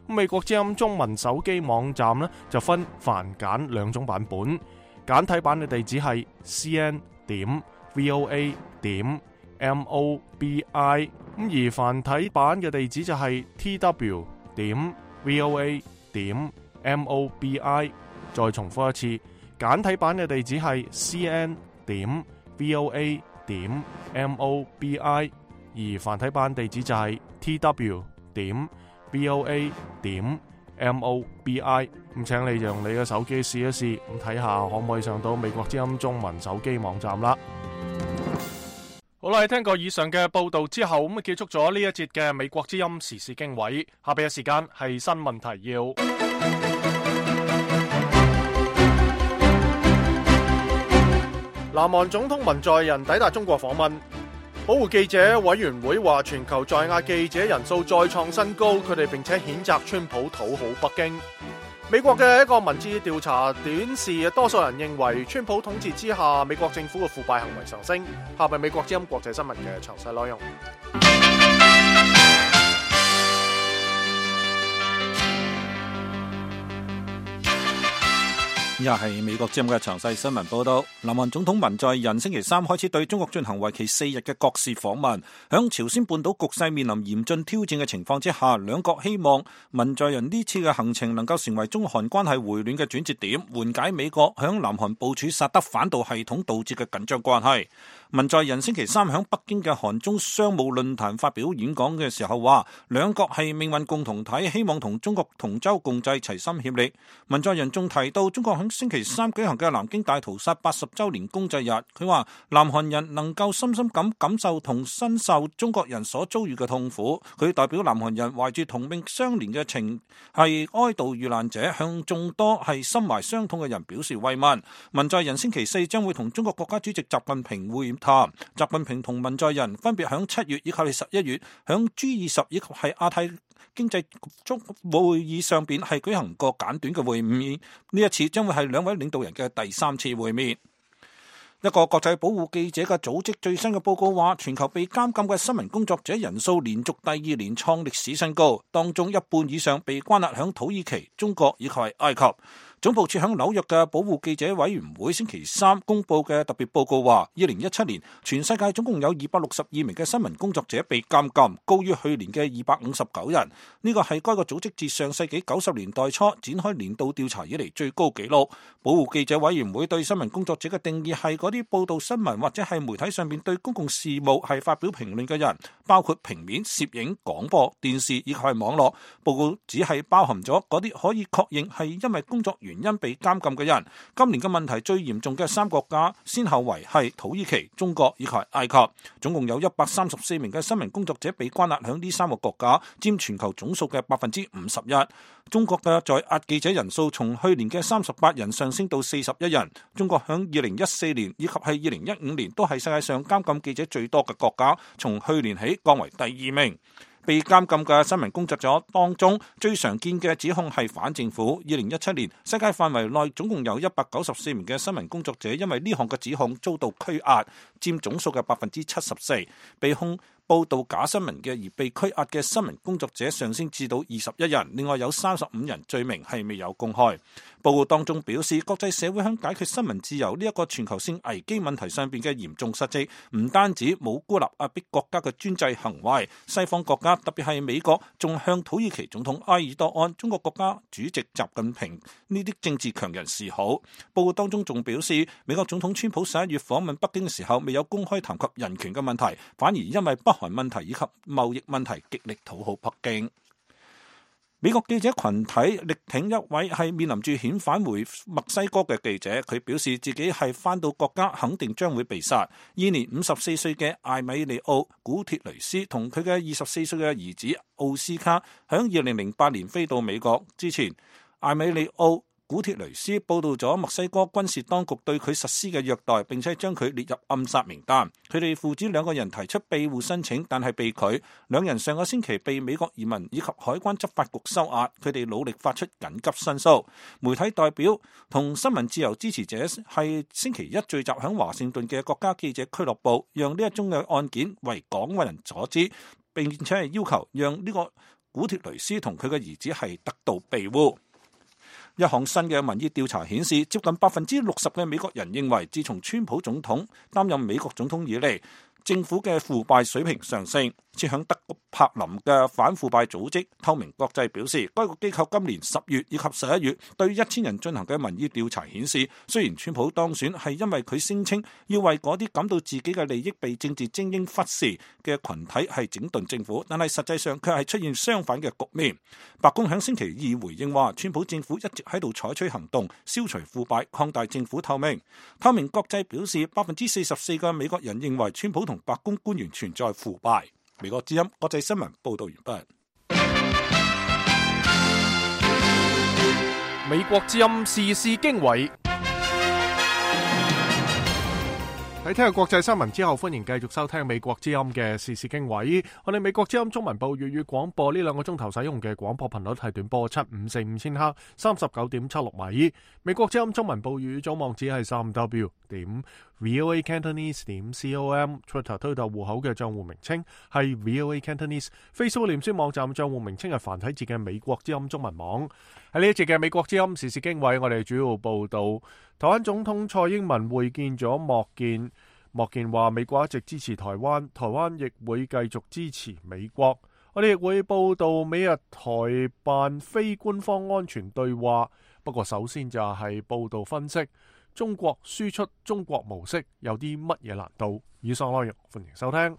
美國之音中文手機網站呢，就分繁簡兩種版本，簡體版嘅地址係 c n 點 v o a 點 m o b i， 咁而繁體版嘅地址就係 t w 點 v o a 點 m o b i。再重複一次，簡體版嘅地址係 c n 點 v o a 點 m o b i， 而繁體版地址就係 t w 點 v o a 點 m o b i。 咁請你用你嘅手機試一試，咁睇下可唔可以上到美國之音中文手機網站啦。好啦，聽過以上嘅報道之後，咁啊結束咗呢一節嘅美國之音時事經緯。下邊嘅時間係新聞提要。南韓總統文在寅抵達中國訪問。保護記者委員會話，全球在押記者人數再創新高，佢哋並且譴責川普討好北京。美國嘅一個民意調查顯示，多數人認為川普統治之下，美國政府嘅腐敗行為上升。下邊美國之音國際新聞嘅詳細內容。以下係美國之音嘅詳細新聞報道。南韓總統文在寅星期三開始對中國進行為期四日嘅國事訪問。響朝鮮半島局勢面臨嚴峻挑戰嘅情況之下，兩國希望文在寅呢次嘅行程能夠成為中韓關係回暖嘅轉折點，緩解美國響南韓部署薩德反導系統導致嘅緊張關係。文在寅星期三響北京嘅韓中商務論壇發表演講嘅時候話，兩國係命運共同體，希望同中國同舟共濟，齊心協力。文在寅仲提到中國響星期三舉行嘅南京大屠殺八十周年公祭日，佢話南韓人能夠深深咁感受同身受中國人所遭遇嘅痛苦。佢代表南韓人懷住同命相連嘅情，係哀悼遇難者，向眾多係心懷傷痛嘅人表示慰問。文在寅星期四將會同中國國家主席習近平會談。習近平同文在寅分別響七月以及係十一月響 G 二十以及係亞太經濟中會議上邊係舉行過簡短嘅會面，呢一次將會係兩位領導人嘅第三次會面。一個國際保護記者嘅組織最新嘅報告話，全球被監禁嘅新聞工作者人數連續第二年創歷史新高，當中一半以上被關押響土耳其、中國以及係埃及。總部設響紐約嘅保護記者委員會星期三公布嘅特別報告話，二零一七年全世界總共有二百六十二名嘅新聞工作者被監禁，高於去年嘅二百五十九人。呢個係該個組織自上世紀九十年代初展開年度調查以嚟最高紀錄。保護記者委員會對新聞工作者嘅定義係嗰啲報道新聞或者係媒體上面對公共事務係發表評論嘅人，包括平面、攝影、廣播、電視以及係網絡。報告只係包含咗嗰啲可以確認係因為工作原因被監禁嘅人。今年嘅問題最嚴重嘅三個國家先後為係土耳其、中國以及埃及，總共有一百三十四名嘅新聞工作者被關押響呢三個國家，佔全球總數嘅百分之五十一。中國嘅在押記者人數從去年嘅三十八人上升到四十一人。中國響二零一四年以及係二零一五年都係世界上監禁記者最多嘅國家，從去年起降為第二名。被監禁嘅新聞工作者當中，最常見嘅指控係反政府。二零一七年，世界範圍內總共有一百九十四名嘅新聞工作者因為呢項嘅指控遭到拘押，佔總數嘅百分之七十四。被控報道假新聞嘅而被拘押嘅新聞工作者上升至到二十一人，另外有三十五人罪名係未有公開。報告當中表示，國際社會喺解決新聞自由呢一個全球性危機問題上邊嘅嚴重失職，唔單止冇孤立壓迫國家嘅專制行為，西方國家特別係美國仲向土耳其總統埃爾多安、中國國家主席習近平呢啲政治強人示好。報告當中仲表示，美國總統川普十一月訪問北京嘅時候，未有公開談及人權嘅問題，反而因為北韓問題以及貿易問題極力討好北京。美國記者群體力挺一位係面臨住遣返回墨西哥嘅記者，佢表示自己係返到國家肯定將會被殺。現年五十四歲嘅艾米利奧·古鐵雷斯同佢嘅二十四歲嘅兒子奧斯卡，響二零零八年飛到美國之前，艾米利奧古鐵雷斯報道咗墨西哥軍事當局對佢實施嘅虐待，並且將佢列入暗殺名單。佢哋父子兩個人提出庇護申請，但係被拒。兩人上個星期被美國移民以及海關執法局收押。佢哋努力發出緊急申訴。媒體代表同新聞自由支持者係星期一聚集響華盛頓嘅國家記者俱樂部，讓呢一宗嘅案件為廣為人所知，並且係要求讓呢個古鐵雷斯同佢嘅兒子係得到庇護。一項新嘅民意調查顯示，接近百分之六十嘅美國人認為，自從川普總統擔任美國總統以嚟，政府嘅腐敗水平上升。設響德柏林嘅反腐敗組織透明國際表示，該個機構今年十月以及十一月對一千人進行嘅民意調查顯示，雖然川普當選係因為佢聲稱要為嗰啲感到自己嘅利益被政治精英忽視嘅群體係整頓政府，但係實際上卻係出現相反嘅局面。白宮喺星期二回應話，川普政府一直喺度採取行動，消除腐敗，擴大政府透明。透明國際表示，百分之四十四嘅美國人認為川普同白宮官員存在腐敗。美國之音國際新聞報道完畢。美國之音時事經緯。喺聽日國際新聞之後，歡迎繼續收聽美國之音嘅時事經緯。我哋美國之音中文部粵語廣播呢兩個鐘頭使用嘅廣播頻率係短波七五四五千赫，三十九點七六米。美國之音中文部粵語總網址係三 w 點 voa cantonese 點 com。Twitter 推特戶口嘅賬戶名稱係 voa cantonese。Facebook 臉書網站賬戶名稱係繁體字嘅美國之音中文網。喺呢一節嘅美國之音時事經緯，我哋主要報道台灣總統蔡英文會見咗莫健。莫健話美國一直支持台灣，台灣亦會繼續支持美國。我哋亦會報道美日台辦非官方安全對話。不過首先就係報道分析中國輸出中國模式有啲乜嘢難度。以上內容歡迎收聽。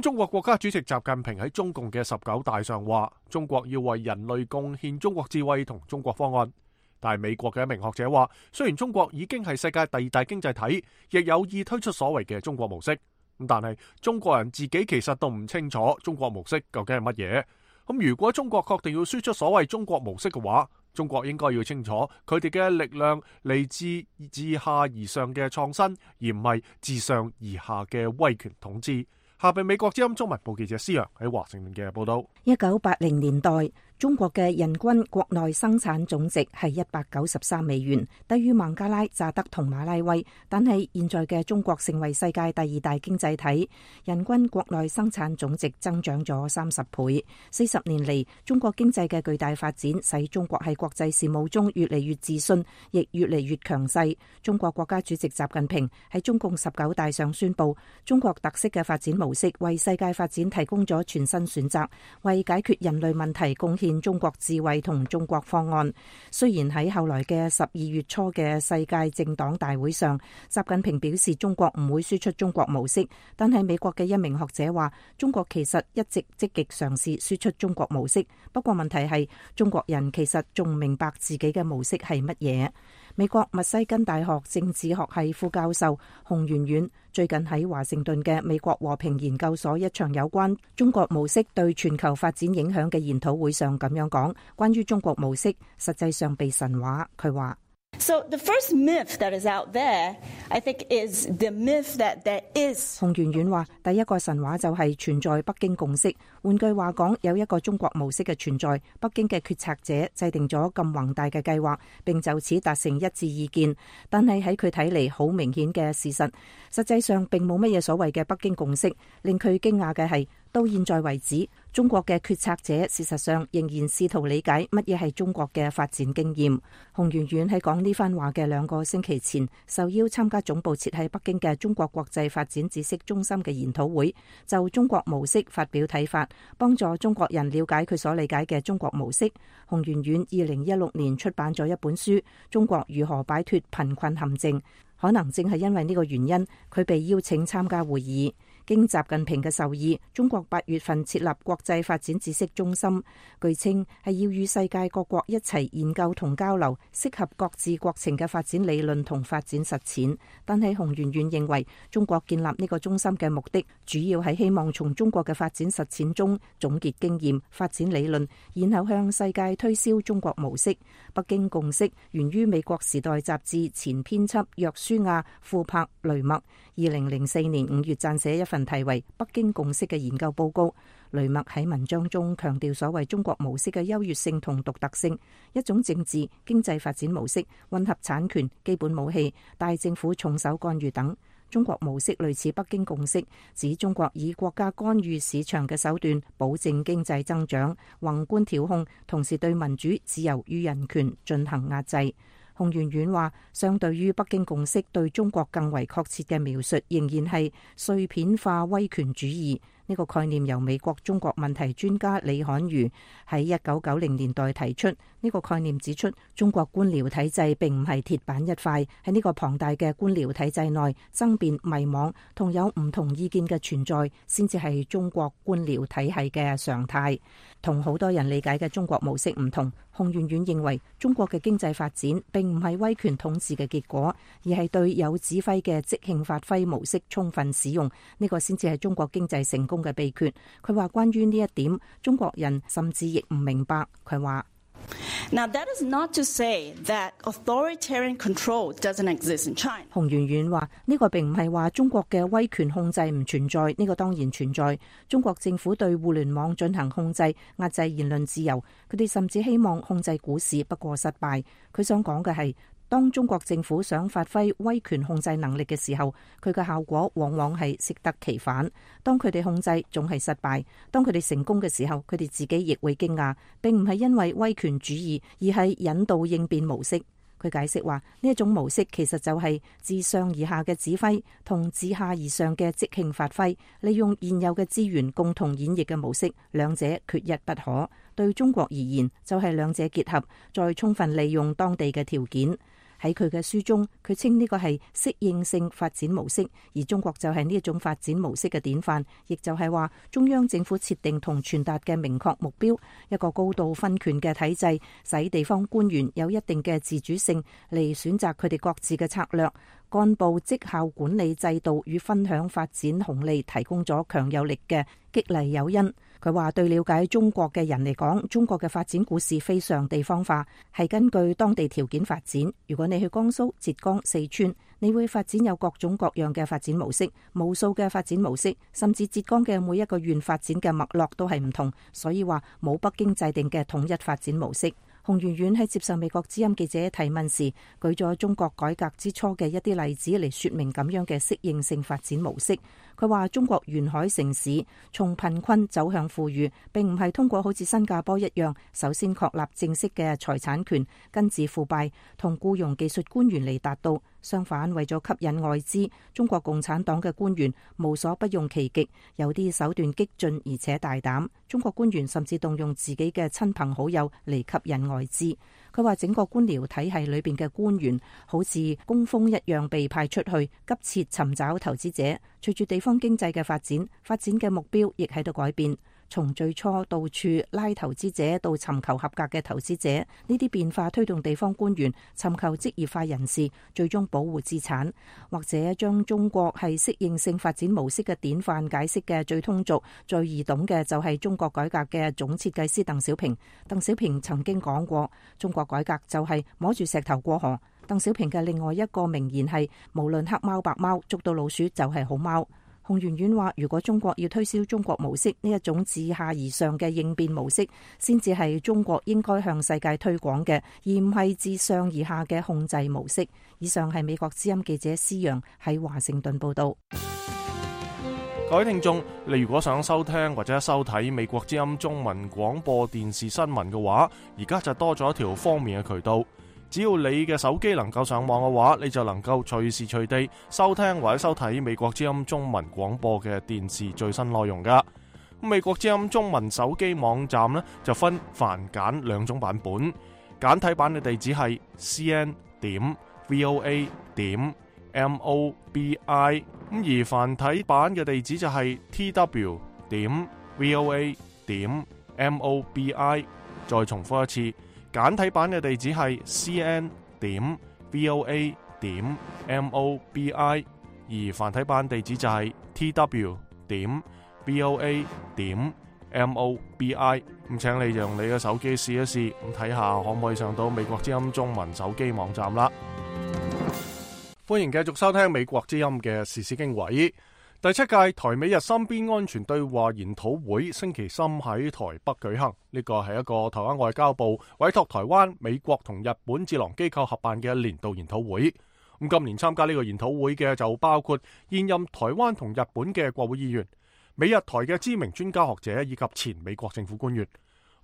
中國國家主席習近平喺中共嘅十九大上話，中國要為人類貢獻中國智慧同中國方案。但係美國嘅一名學者話，雖然中國已經係世界第二大經濟體，亦有意推出所謂嘅中國模式，咁但係中國人自己其實都唔清楚中國模式究竟係乜嘢。咁如果中國確定要輸出所謂中國模式嘅話，中國應該要清楚佢哋嘅力量嚟自自下而上嘅創新，而唔係自上而下嘅威權統治。下邊美國之音中文部記者施洋喺華盛頓嘅報道。一九八零年代，中國嘅人均國內生產總值係一百九十三美元，低於孟加拉、乍得同馬拉威。但係現在嘅中國成為世界第二大經濟體，人均國內生產總值增長咗三十倍。四十年嚟，中國經濟嘅巨大發展，使中國喺國際事務中越嚟越自信，亦越嚟越強勢。中國國家主席習近平喺中共十九大上宣布，中國特色嘅發展模式為世界發展提供咗全新選擇，為解決人類問題貢獻中國智慧同中國方案。雖然喺後來嘅十二月初嘅世界政黨大會上，習近平表示中國唔會輸出中國模式，但係美國嘅一名學者話，中國其實一直積極嘗試輸出中國模式，不過問題係中國人其實仲唔明白自己嘅模式係乜嘢。美國密西根大學政治學系副教授洪媛媛最近喺華盛頓嘅美國和平研究所一場有關中國模式對全球發展影響嘅研討會上咁樣講，關於中國模式實際上被神話。佢話So the first myth that is out there, I think, is the myth that there is. 洪媛媛話，第一個神話就係存在北京共識。換句話講，有一個中國模式嘅存在，北京嘅決策者制定咗咁宏大嘅計劃，並就此達成一致意見。但係喺佢睇嚟，好明顯嘅事實，實際上並冇乜嘢所謂嘅北京共識。令佢驚訝嘅係，到現在為止，中國嘅決策者事實上仍然試圖理解乜嘢係中國嘅發展經驗。洪媛媛喺講呢番話嘅兩個星期前，受邀參加總部設喺北京嘅中國國際發展知識中心嘅研討會，就中國模式發表睇法，幫助中國人了解佢所理解嘅中國模式。洪媛媛二零一六年出版咗一本書《中國如何擺脫貧困陷阱》，可能正係因為呢個原因，佢被邀請參加會議。經習近平嘅授意，中國八月份設立國際發展知識中心，據稱係要與世界各國一齊研究同交流適合各自國情嘅發展理論同發展實踐。但係洪媛媛認為，中國建立呢個中心嘅目的，主要係希望從中國嘅發展實踐中總結經驗、發展理論，然後向世界推銷中國模式。北京共識源於美國時代雜誌前編輯約書亞·庫珀雷默，二零零四年五月撰寫一份題為《北京共識》嘅研究報告。雷默喺文章中強調所謂中國模式嘅優越性同獨特性，一種政治經濟發展模式，混合產權、基本武器、大政府重手干預等。中國模式類似北京共識，指中國以國家干預市場嘅手段保證經濟增長，宏觀調控，同時對民主、自由與人權進行壓制。洪媛媛話，相對於北京共識對中國更為確切嘅描述，仍然係碎片化威權主義。呢個概念由美國中國問題專家李漢儒喺一九九零年代提出。呢個概念指出，中國官僚體制並唔係鐵板一塊，喺呢個龐大嘅官僚體制內，爭辯、迷惘同有唔同意見嘅存在，先至係中國官僚體系嘅常態。同好多人理解嘅中國模式唔同，洪媛媛認為中國嘅經濟發展並唔係威權統治嘅結果，而係對有指揮嘅即興發揮模式充分使用，呢個先至係中國經濟成功嘅秘訣。佢話關於呢一點，中國人甚至亦唔明白。佢話Now that is not to say that authoritarian control doesn't exist in China. 洪媛媛話呢個並唔係話中國嘅威權控制唔存在，呢個當然存在。中國政府對互聯網進行控制，壓制言論自由，佢哋甚至希望控制股市，不過失敗。佢想講嘅係，當中國政府想發揮威權控制能力嘅時候，佢嘅效果往往係適得其反。當佢哋控制總係失敗，當佢哋成功嘅時候，佢哋自己亦會驚訝，並唔係因為威權主義，而係引導應變模式。佢解釋話，呢一種模式其實就係自上而下嘅指揮同自下而上嘅即興發揮，利用現有嘅資源共同演繹嘅模式，兩者缺一不可。對中國而言，就係兩者結合，再充分利用當地嘅條件。喺佢嘅書中，佢稱呢個係適應性發展模式，而中國就係呢一種發展模式嘅典範，亦就係話中央政府設定同傳達嘅明確目標，一個高度分權嘅體制，使地方官員有一定嘅自主性嚟選擇佢哋各自嘅策略。幹部績效管理制度與分享發展紅利提供咗強有力嘅激勵誘因。佢話對了解中國嘅人嚟講，中國嘅發展故事非常地方化，係根據當地條件發展。如果你去江蘇、浙江、四川，你會發展有各種各樣嘅發展模式，無數嘅發展模式，甚至浙江嘅每一個縣發展嘅脈絡都係唔同，所以話冇北京制定嘅統一發展模式。洪媛媛喺接受美國之音記者提問時，舉咗中國改革之初嘅一啲例子嚟說明咁樣嘅適應性發展模式。佢話中國沿海城市從貧困走向富裕，並唔係通過好似新加坡一樣，首先確立正式嘅財產權，根治腐敗同僱傭技術官員嚟達到。相反，為咗吸引外資，中國共產黨嘅官員無所不用其極，有啲手段激進而且大膽。中國官員甚至動用自己嘅親朋好友嚟吸引外資。佢話整個官僚體系裏邊嘅官員好似工蜂一樣被派出去，急切尋找投資者。隨住地方經濟嘅發展，發展嘅目標亦喺度改變。從最初到處拉投資者到尋求合格嘅投資者，呢啲變化推動地方官員尋求職業化人士，最終保護資產，或者將中國係適應性發展模式嘅典範解釋嘅最通俗、最易懂嘅就係中國改革嘅總設計師鄧小平。鄧小平曾經講過，中國改革就係摸住石頭過河。鄧小平嘅另外一個名言係，無論黑貓白貓，捉到老鼠就係好貓。洪媛媛話，如果中國要推銷中國模式呢一種自下而上嘅應變模式，先至係中國應該向世界推廣嘅，而唔係自上而下嘅控制模式。以上係美國之音記者施陽喺華盛頓報道。各位聽眾，你如果想收聽或者收睇美國之音中文廣播電視新聞嘅話，而家就多咗一條方便嘅渠道。只要你嘅手機能夠上網嘅話，你就能夠隨時隨地收聽或者收睇美國之音中文廣播嘅電視最新內容噶。美國之音中文手機網站呢，就分繁簡兩種版本，簡體版嘅地址係 c n 點 v o a 點 m o b i， 咁而繁體版嘅地址就係 t w 點 v o a 點 m o b i。再重複一次。簡體版嘅地址係 c n 點 v o a 點 m o b i， 而繁體版地址就係 t w 點 v o a 點 m o b i。咁請你用你嘅手機試一試，咁睇下可唔可以上到美國之音中文手機網站啦。歡迎繼續收聽美國之音嘅時事經緯。第七屆台美日三邊安全對話研討會星期三喺台北舉行，呢個係一個台灣外交部委託台灣、美國同日本智囊機構合辦嘅年度研討會。咁今年參加呢個研討會嘅就包括現任台灣同日本嘅國會議員、美日台嘅知名專家學者以及前美國政府官員。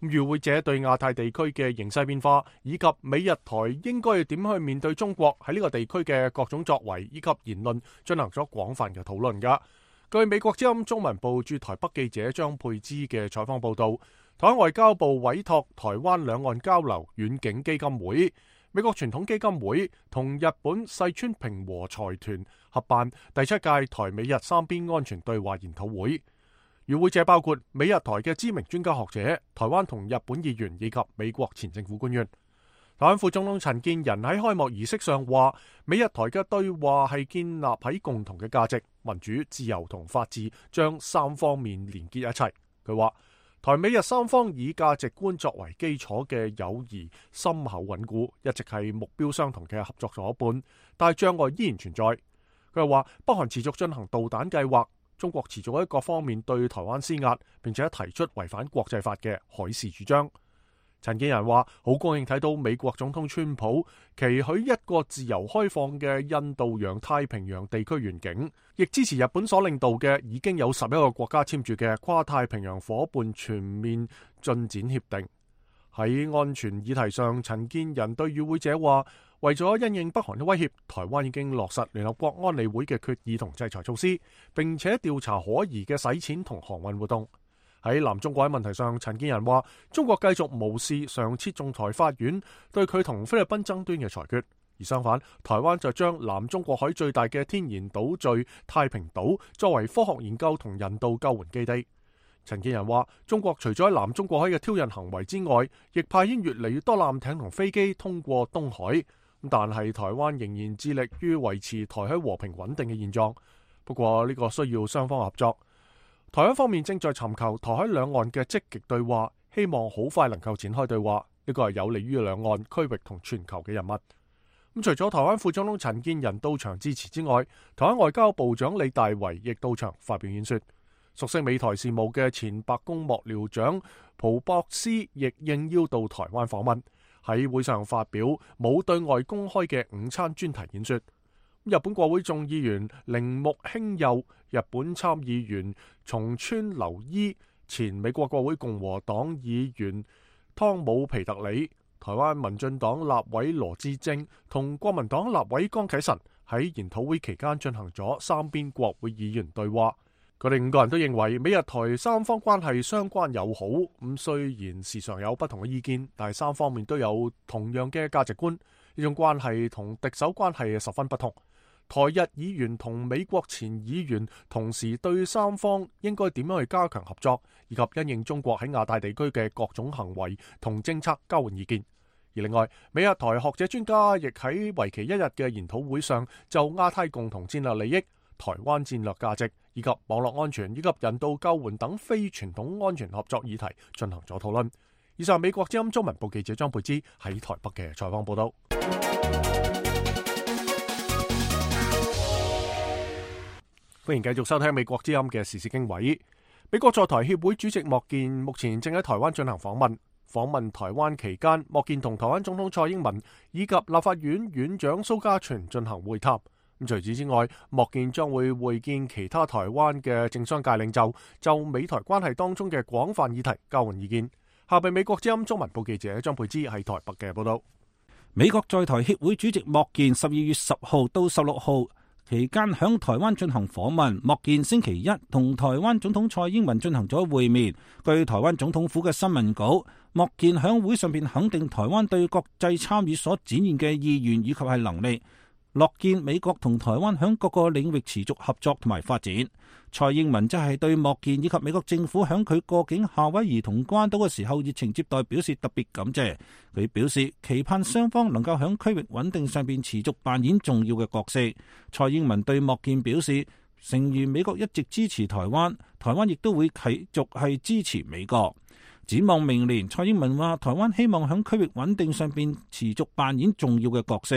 與會者對亞太地區嘅形勢變化以及美日台應該要點去面對中國喺呢個地區嘅各種作為以及言論進行咗廣泛嘅討論噶。據美國之音中文部駐台北記者張佩芝嘅採訪報道，台灣外交部委託台灣兩岸交流遠景基金會、美國傳統基金會同日本細川平和財團合辦第七屆台美日三邊安全對話研討會。與會者包括美日台嘅知名專家學者、台灣同日本議員以及美國前政府官員。台灣副總統陳建仁喺開幕儀式上話，美日台嘅對話係建立喺共同嘅價值、民主、自由同法治，將三方面連結一齊。佢話，台美日三方以價值觀作為基礎嘅友誼深厚穩固，一直係目標相同嘅合作夥伴，但係障礙依然存在。佢又話，北韓持續進行導彈計劃，中國持續喺各方面對台灣施壓，並且提出違反國際法嘅海事主張。陳建仁話，好高興睇到美國總統川普期許一個自由開放嘅印度洋太平洋地區願景，亦支持日本所領導嘅已經有十一個國家簽署嘅跨太平洋夥伴全面進展協定。喺安全議題上，陳建仁對與會者話，為咗因應北韓嘅威脅，台灣已經落實聯合國安理會嘅決議同制裁措施，並且調查可疑嘅洗錢同航運活動。喺南中國喺問題上，陳建仁話，中國繼續無視上次仲裁法院對佢同菲律賓爭端嘅裁決，而相反，台灣就將南中國海最大嘅天然島嶼太平島作為科學研究同人道救援基地。陳建仁話，中國除咗喺南中國海嘅挑釁行為之外，亦派遣越嚟越多艦艇同飛機通過東海，但係台灣仍然致力於維持台海和平穩定嘅現狀。不過呢個需要雙方合作。台灣方面正在尋求台海兩岸嘅積極對話，希望好快能夠展開對話，呢個係有利於兩岸區域同全球嘅人物。咁除咗台灣副總統陳建仁到場支持之外，台灣外交部長李大維亦到場發表演說。熟悉美台事務嘅前白宮幕僚長蒲博斯亦應邀到台灣訪問，喺會上發表冇對外公開嘅午餐專題演說。日本國會眾議員鈴木興佑、日本參議員松川留伊、前美國國會共和黨議員湯姆皮特里、台灣民進黨立委羅致政同國民黨立委江啟臣喺研討會期間進行咗三邊國會議員對話。佢哋五個人都認為美日台三方關係相關友好，咁雖然時常有不同嘅意見，但係三方面都有同樣嘅價值觀。呢種關係同敵手關係十分不同。台日議員同美國前議員同時對三方應該點樣去加強合作，以及因應中國喺亞太地區嘅各種行為同政策交換意見。而另外，美日台學者專家亦喺為期一日嘅研討會上，就亞太共同戰略利益、台灣戰略價值以及網絡安全以及人道救援等非傳統安全合作議題進行咗討論。以上美國之音中文部記者張佩芝喺台北嘅採訪報道。歡迎繼續收聽美國之音嘅時事經緯。美國在台協會主席莫健目前正喺台灣進行訪問。訪問台灣期間，莫健同台灣總統蔡英文以及立法院院長蘇嘉全進行會談。咁除此之外，莫健將會會見其他台灣嘅政商界領袖，就美台關係當中嘅廣泛議題交換意見。下邊美國之音中文部記者張佩芝喺台北嘅報道。美國在台協會主席莫健十二月十號到十六號期間響台灣進行訪問。莫健星期一同台灣總統蔡英文進行咗會面。據台灣總統府嘅新聞稿，莫健響會上邊肯定台灣對國際參與所展現嘅意願以及係能力，樂見美國同台灣響各個領域持續合作同埋發展。蔡英文則係對莫健以及美國政府響佢過境夏威夷同關島嘅時候熱情接待表示特別感謝。佢表示期盼雙方能夠響區域穩定上邊持續扮演重要嘅角色。蔡英文對莫健表示，誠如美國一直支持台灣，台灣亦都會繼續係支持美國。展望明年，蔡英文話台灣希望響區域穩定上邊持續扮演重要嘅角色。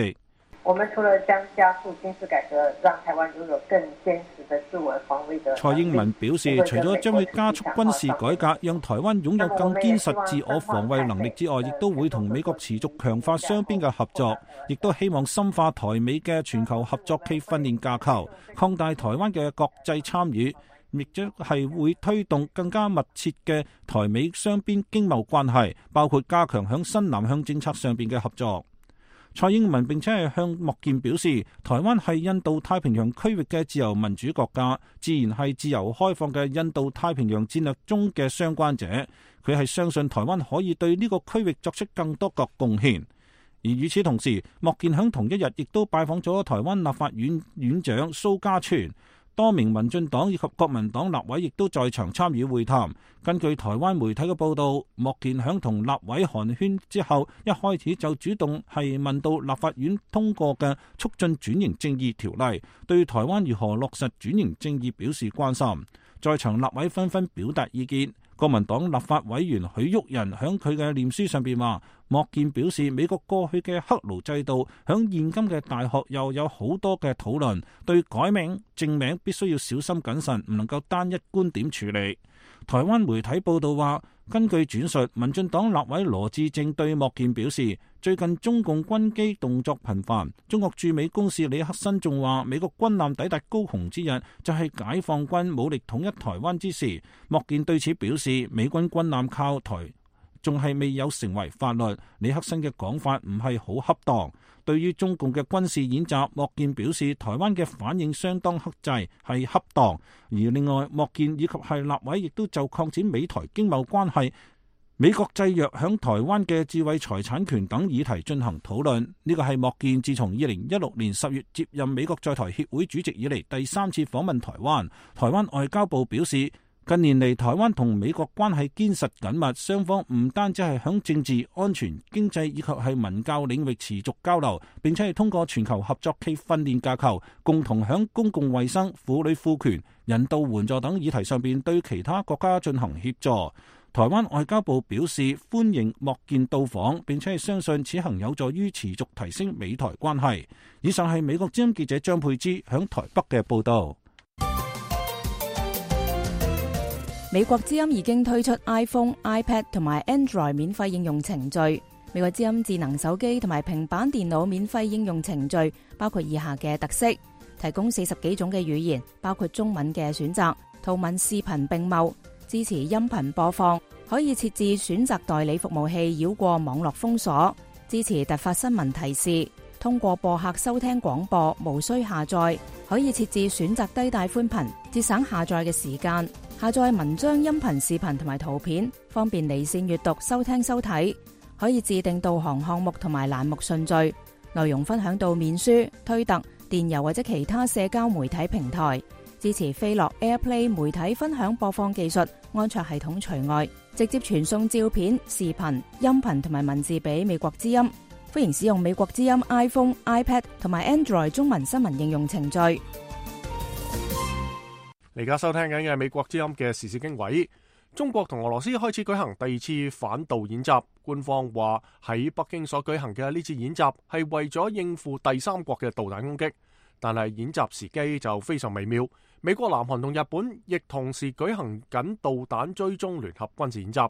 我們除了將加速軍事改革，讓台灣擁有更堅實的自我防衛的。蔡英文表示，除咗將會加速軍事改革，讓台灣擁有更堅實自我防衛能力之外，亦都會同美國持續強化雙邊嘅合作，亦都希望深化台美嘅全球合作暨訓練架構，擴大台灣嘅國際參與，亦將係會推動更加密切嘅台美雙邊經貿關係，包括加強響新南向政策上邊嘅合作。蔡英文並且係向莫健表示，台灣係印度太平洋區域嘅自由民主國家，自然係自由開放嘅印度太平洋戰略中嘅相關者。佢係相信台灣可以對呢個區域作出更多個貢獻。而與此同時，莫健響同一日亦都拜訪咗台灣立法院院長蘇嘉全。多名民進黨以及國民黨立委亦都在場參與會談。根據台灣媒體嘅報道，莫健響同立委寒暄之後，一開始就主動係問到立法院通過嘅促進轉型正義條例，對台灣如何落實轉型正義表示關心。在場立委紛紛表達意見。國民黨立法委員許旭仁響佢嘅臉書上邊話，莫健表示美國過去嘅黑奴制度響現今嘅大學又有好多嘅討論，對改名正名必須要小心謹慎，唔能夠單一觀點處理。台灣媒體報道話，根據轉述，民進黨立委羅致政對莫健表示，最近中共軍機動作頻繁，中國駐美公使李克新仲話，美國軍艦抵達高雄之日就係解放軍武力統一台灣之時。莫健對此表示，美軍軍艦靠台仲係未有成為法律，李克新嘅講法唔係好恰當。對於中共嘅軍事演習，莫健表示台灣嘅反應相當克制，係恰當。而另外，莫健以及係立委亦都就擴展美台經貿關係、美國制約響台灣嘅智慧財產權等議題進行討論。呢個係莫健自從二零一六年十月接任美國在台協會主席以嚟第三次訪問台灣。台灣外交部表示，近年嚟，台灣同美國關係堅實緊密，雙方唔單止係響政治、安全、經濟以及係文教領域持續交流，並且係通過全球合作暨訓練架構，共同響公共衛生、婦女賦權、人道援助等議題上邊對其他國家進行協助。台灣外交部表示歡迎莫健到訪，並且係相信此行有助於持續提升美台關係。以上係美國之音記者張佩芝響台北嘅報道。美國之音已經推出 iPhone、iPad 同埋 Android 免費應用程序。美國之音智能手機同埋平板電腦免費應用程序包括以下嘅特色：提供四十幾種嘅語言，包括中文嘅選擇，圖文視頻並茂，支持音頻播放，可以設置選擇代理服務器繞過網絡封鎖，支持突發新聞提示，通過播客收聽廣播，無需下載，可以設置選擇低帶寬頻，節省下載嘅時間。下載文章、音頻、視頻同埋圖片，方便離線閱讀、收聽、收睇。可以自定導航項目同埋欄目順序，內容分享到面書、推特、電郵或者其他社交媒體平台。支持飛樂 AirPlay 媒體分享播放技術，安卓系統除外。直接傳送照片、視頻、音頻同埋文字俾美國之音。歡迎使用美國之音 iPhone、iPad 同埋 Android 中文新聞應用程序。而家收聽緊嘅係美國之音嘅時事經緯。中國同俄羅斯開始舉行第二次反導演習，官方話喺北京所舉行嘅呢次演習係為咗應付第三國嘅導彈攻擊，但係演習時機就非常微妙。美國、南韓同日本亦同時舉行緊導彈追蹤聯合軍事演習。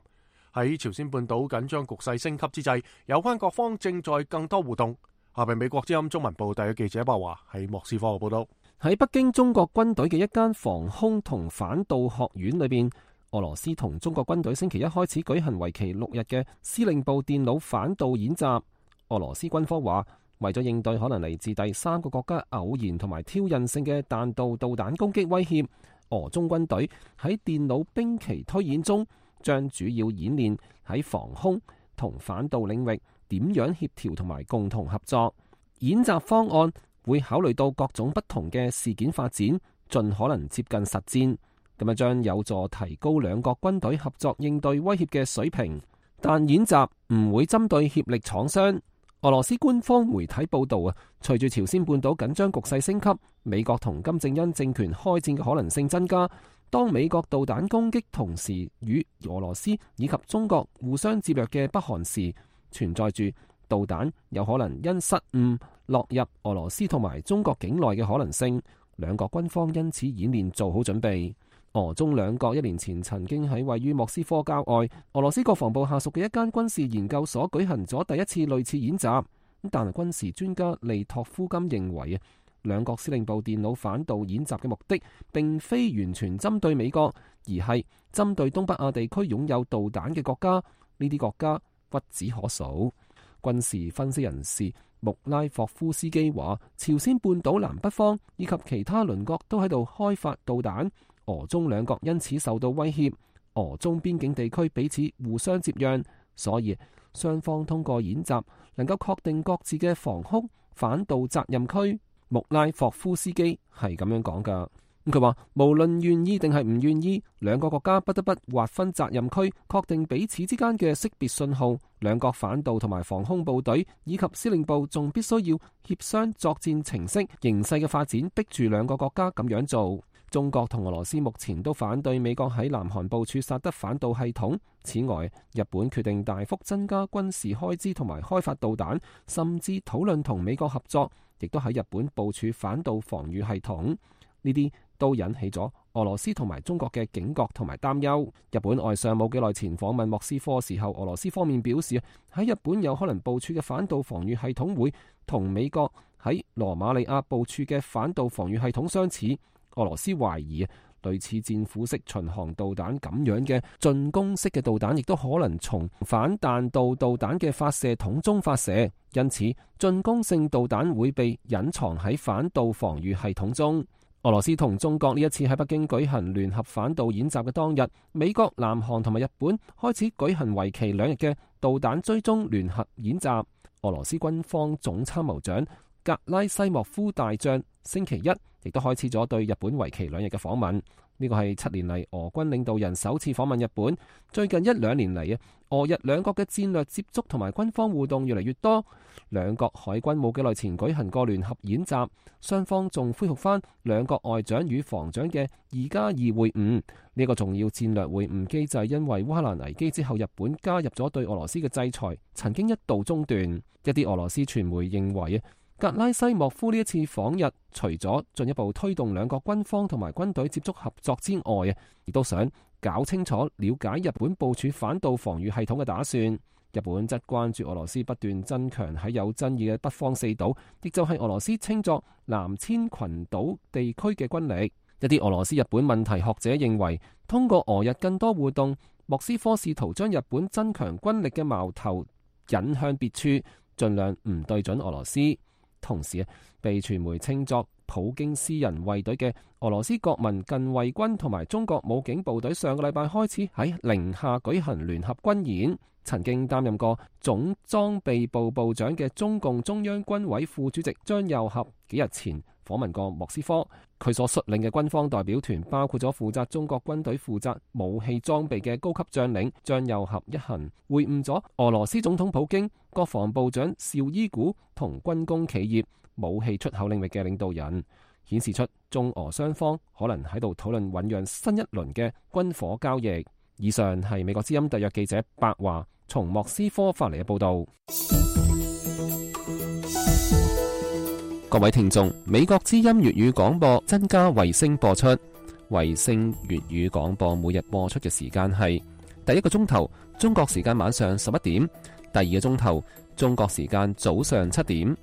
喺朝鮮半島緊張局勢升級之際，有關各方正在更多互動。下邊美國之音中文部第一記者白華喺莫斯科嘅報道。喺北京中國軍隊嘅一間防空同反導學院裏邊，俄羅斯同中國軍隊星期一開始舉行為期六日嘅司令部電腦反導演習。俄羅斯軍方話，為咗應對可能嚟自第三個國家偶然同埋挑釁性嘅彈道導彈攻擊威脅，俄中軍隊喺電腦兵棋推演中，將主要演練喺防空同反導領域點樣協調同埋共同合作。演習方案會考慮到各種不同嘅事件發展，盡可能接近實戰，咁樣將有助提高兩國軍隊合作應對威脅嘅水平。但演習唔會針對協力廠商。俄羅斯官方媒體報道啊，隨住朝鮮半島緊張局勢升級，美國同金正恩政權開戰嘅可能性增加。當美國導彈攻擊同時與俄羅斯以及中國互相接壤嘅北韓時，存在住導彈有可能因失誤落入俄羅斯同埋中國境內嘅可能性，兩國軍方因此演練做好準備。俄中兩國一年前曾經喺位於莫斯科郊外俄羅斯國防部下屬嘅一間軍事研究所舉行咗第一次類似演習，但係軍事專家利托夫金認為啊，兩國司令部電腦反導演習嘅目的並非完全針對美國，而係針對東北亞地區擁有導彈嘅國家，呢啲國家屈指可數。軍事分析人士穆拉霍夫斯基話，朝鮮半島南北方以及其他鄰國都喺度開發導彈，俄中兩國因此受到威脅，俄中邊境地區彼此互相接壤，所以雙方通過演習能夠確定各自嘅防空反導責任區。穆拉霍夫斯基係咁樣講噶。佢話無論願意定係唔願意，兩個國家不得不劃分責任區，確定彼此之間嘅識別信號。兩國反導同埋防空部隊以及司令部仲必須要協商作戰程式，形勢嘅發展逼住兩個國家咁樣做。中國同俄羅斯目前都反對美國喺南韓部署薩德反導系統。此外，日本決定大幅增加軍事開支同埋開發導彈，甚至討論同美國合作，亦都喺日本部署反導防禦系統。呢啲都引起咗俄羅斯同埋中國嘅警覺同埋擔憂。日本外相冇幾耐前訪問莫斯科時候，俄羅斯方面表示喺日本有可能部署嘅反導防禦系統會同美國喺羅馬尼亞部署嘅反導防禦系統相似。俄羅斯懷疑類似戰斧式巡航導彈咁樣嘅進攻式嘅導彈，亦都可能從反彈道導彈嘅發射筒中發射，因此進攻性導彈會被隱藏喺反導防禦系統中。俄羅斯同中國呢一次喺北京舉行聯合反導演習嘅當日，美國、南韓同埋日本開始舉行為期兩日嘅導彈追蹤聯合演習。俄羅斯軍方總參謀長格拉西莫夫大將星期一亦都開始咗對日本為期兩日嘅訪問。呢個係七年嚟俄軍領導人首次訪問日本。最近一兩年嚟啊，俄日兩國嘅戰略接觸同埋軍方互動越嚟越多。兩國海軍冇幾耐前舉行過聯合演習，雙方仲恢復翻兩國外長與防長嘅二加二會晤。呢個重要戰略會晤機制因為烏克蘭危機之後，日本加入咗對俄羅斯嘅制裁，曾經一度中斷。一啲俄羅斯傳媒認為格拉西莫夫呢一次訪日，除咗進一步推動兩國軍方同埋軍隊接觸合作之外，亦都想搞清楚了解日本部署反導防禦系統嘅打算。日本則關注俄羅斯不斷增強喺有爭議嘅北方四島，亦就係俄羅斯稱作南千群島地區嘅軍力。一啲俄羅斯日本問題學者認為，通過俄日更多互動，莫斯科試圖將日本增強軍力嘅矛頭引向別處，盡量唔對準俄羅斯。同時被傳媒稱作普京私人衛隊嘅俄羅斯國民近衛軍同埋中國武警部隊上個禮拜開始喺寧夏舉行聯合軍演。曾經擔任過總裝備部部長嘅中共中央軍委副主席張又俠幾日前訪問過莫斯科。佢所率領嘅軍方代表團包括咗負責中國軍隊負責武器裝備嘅高級將領。張又俠一行會晤咗俄羅斯總統普京、國防部長紹伊古同軍工企業、武器出口領域嘅領導人，顯示出中俄雙方可能喺度討論醞釀新一輪嘅軍火交易。以上係美國之音特約記者白華從莫斯科發嚟嘅報道。各位聽眾，美國之音粵語廣播增加衛星播出。衛星粵語廣播每日播出嘅時間係第一個鐘頭中國時間晚上十一點，第二個鐘頭中國時間早上七點。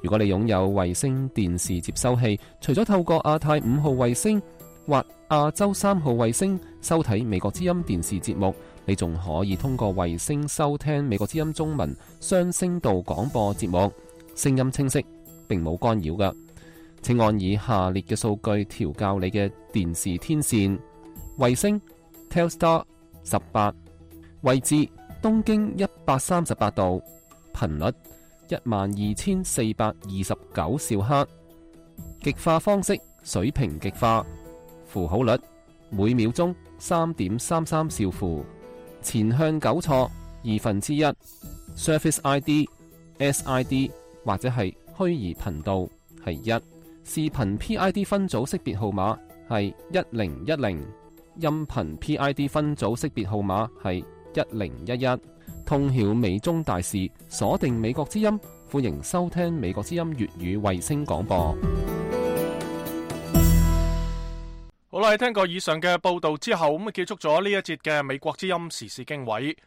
如果你擁有衛星電視接收器，除咗透過亞太五號衛星或亞洲三號衛星收睇美國之音電視節目，你仲可以通過衛星收聽美國之音中文雙聲道廣播節目，聲音清晰，並冇干擾㗎。請按以下列嘅數據調校你嘅電視天線：衛星 Telstar 十八，位置東經一百三十八度，頻率一萬二千四百二十九兆赫，極化方式水平極化，符號率每秒鐘三點三三兆符，前向糾錯二分之一 ，Surface I D、S I D 或者係虛擬頻道係一，視頻 P I D 分組識別號碼係一零一零，音頻 P I D 分組識別號碼係一零一一。通曉美中大事，鎖定美國之音，歡迎收聽美國之音粵語衛星廣播。好啦，聽過以上嘅報道之後，咁結束咗呢一節嘅美國之音時事經緯。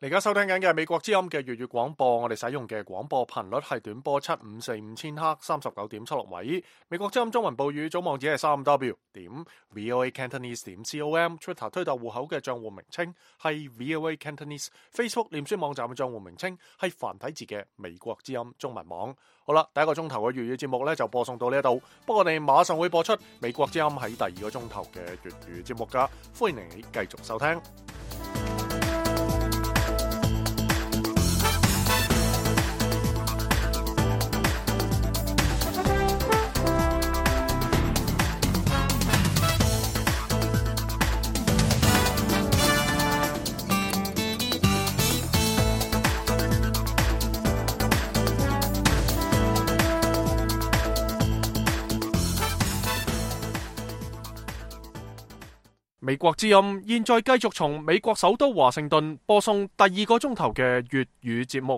而家收聽緊嘅係美國之音嘅粵語廣播，我哋使用嘅廣播頻率係短波七五四五千赫，三十九點七六米。美國之音中文報語總網址係三 W 點 V O A Cantonese 點 com，Twitter 推特戶口嘅賬戶名稱係 V O A Cantonese，Facebook 臉書網站嘅賬戶名稱係繁體字嘅美國之音中文網。好啦，第一個鐘頭嘅粵語節目咧就播送到呢一度，不過我哋馬上會播出美國之音喺第二個鐘頭嘅粵語節目噶，歡迎你繼續收聽。美國之音現在繼續從美國首都華盛頓播送第二個鐘頭嘅粵語節目。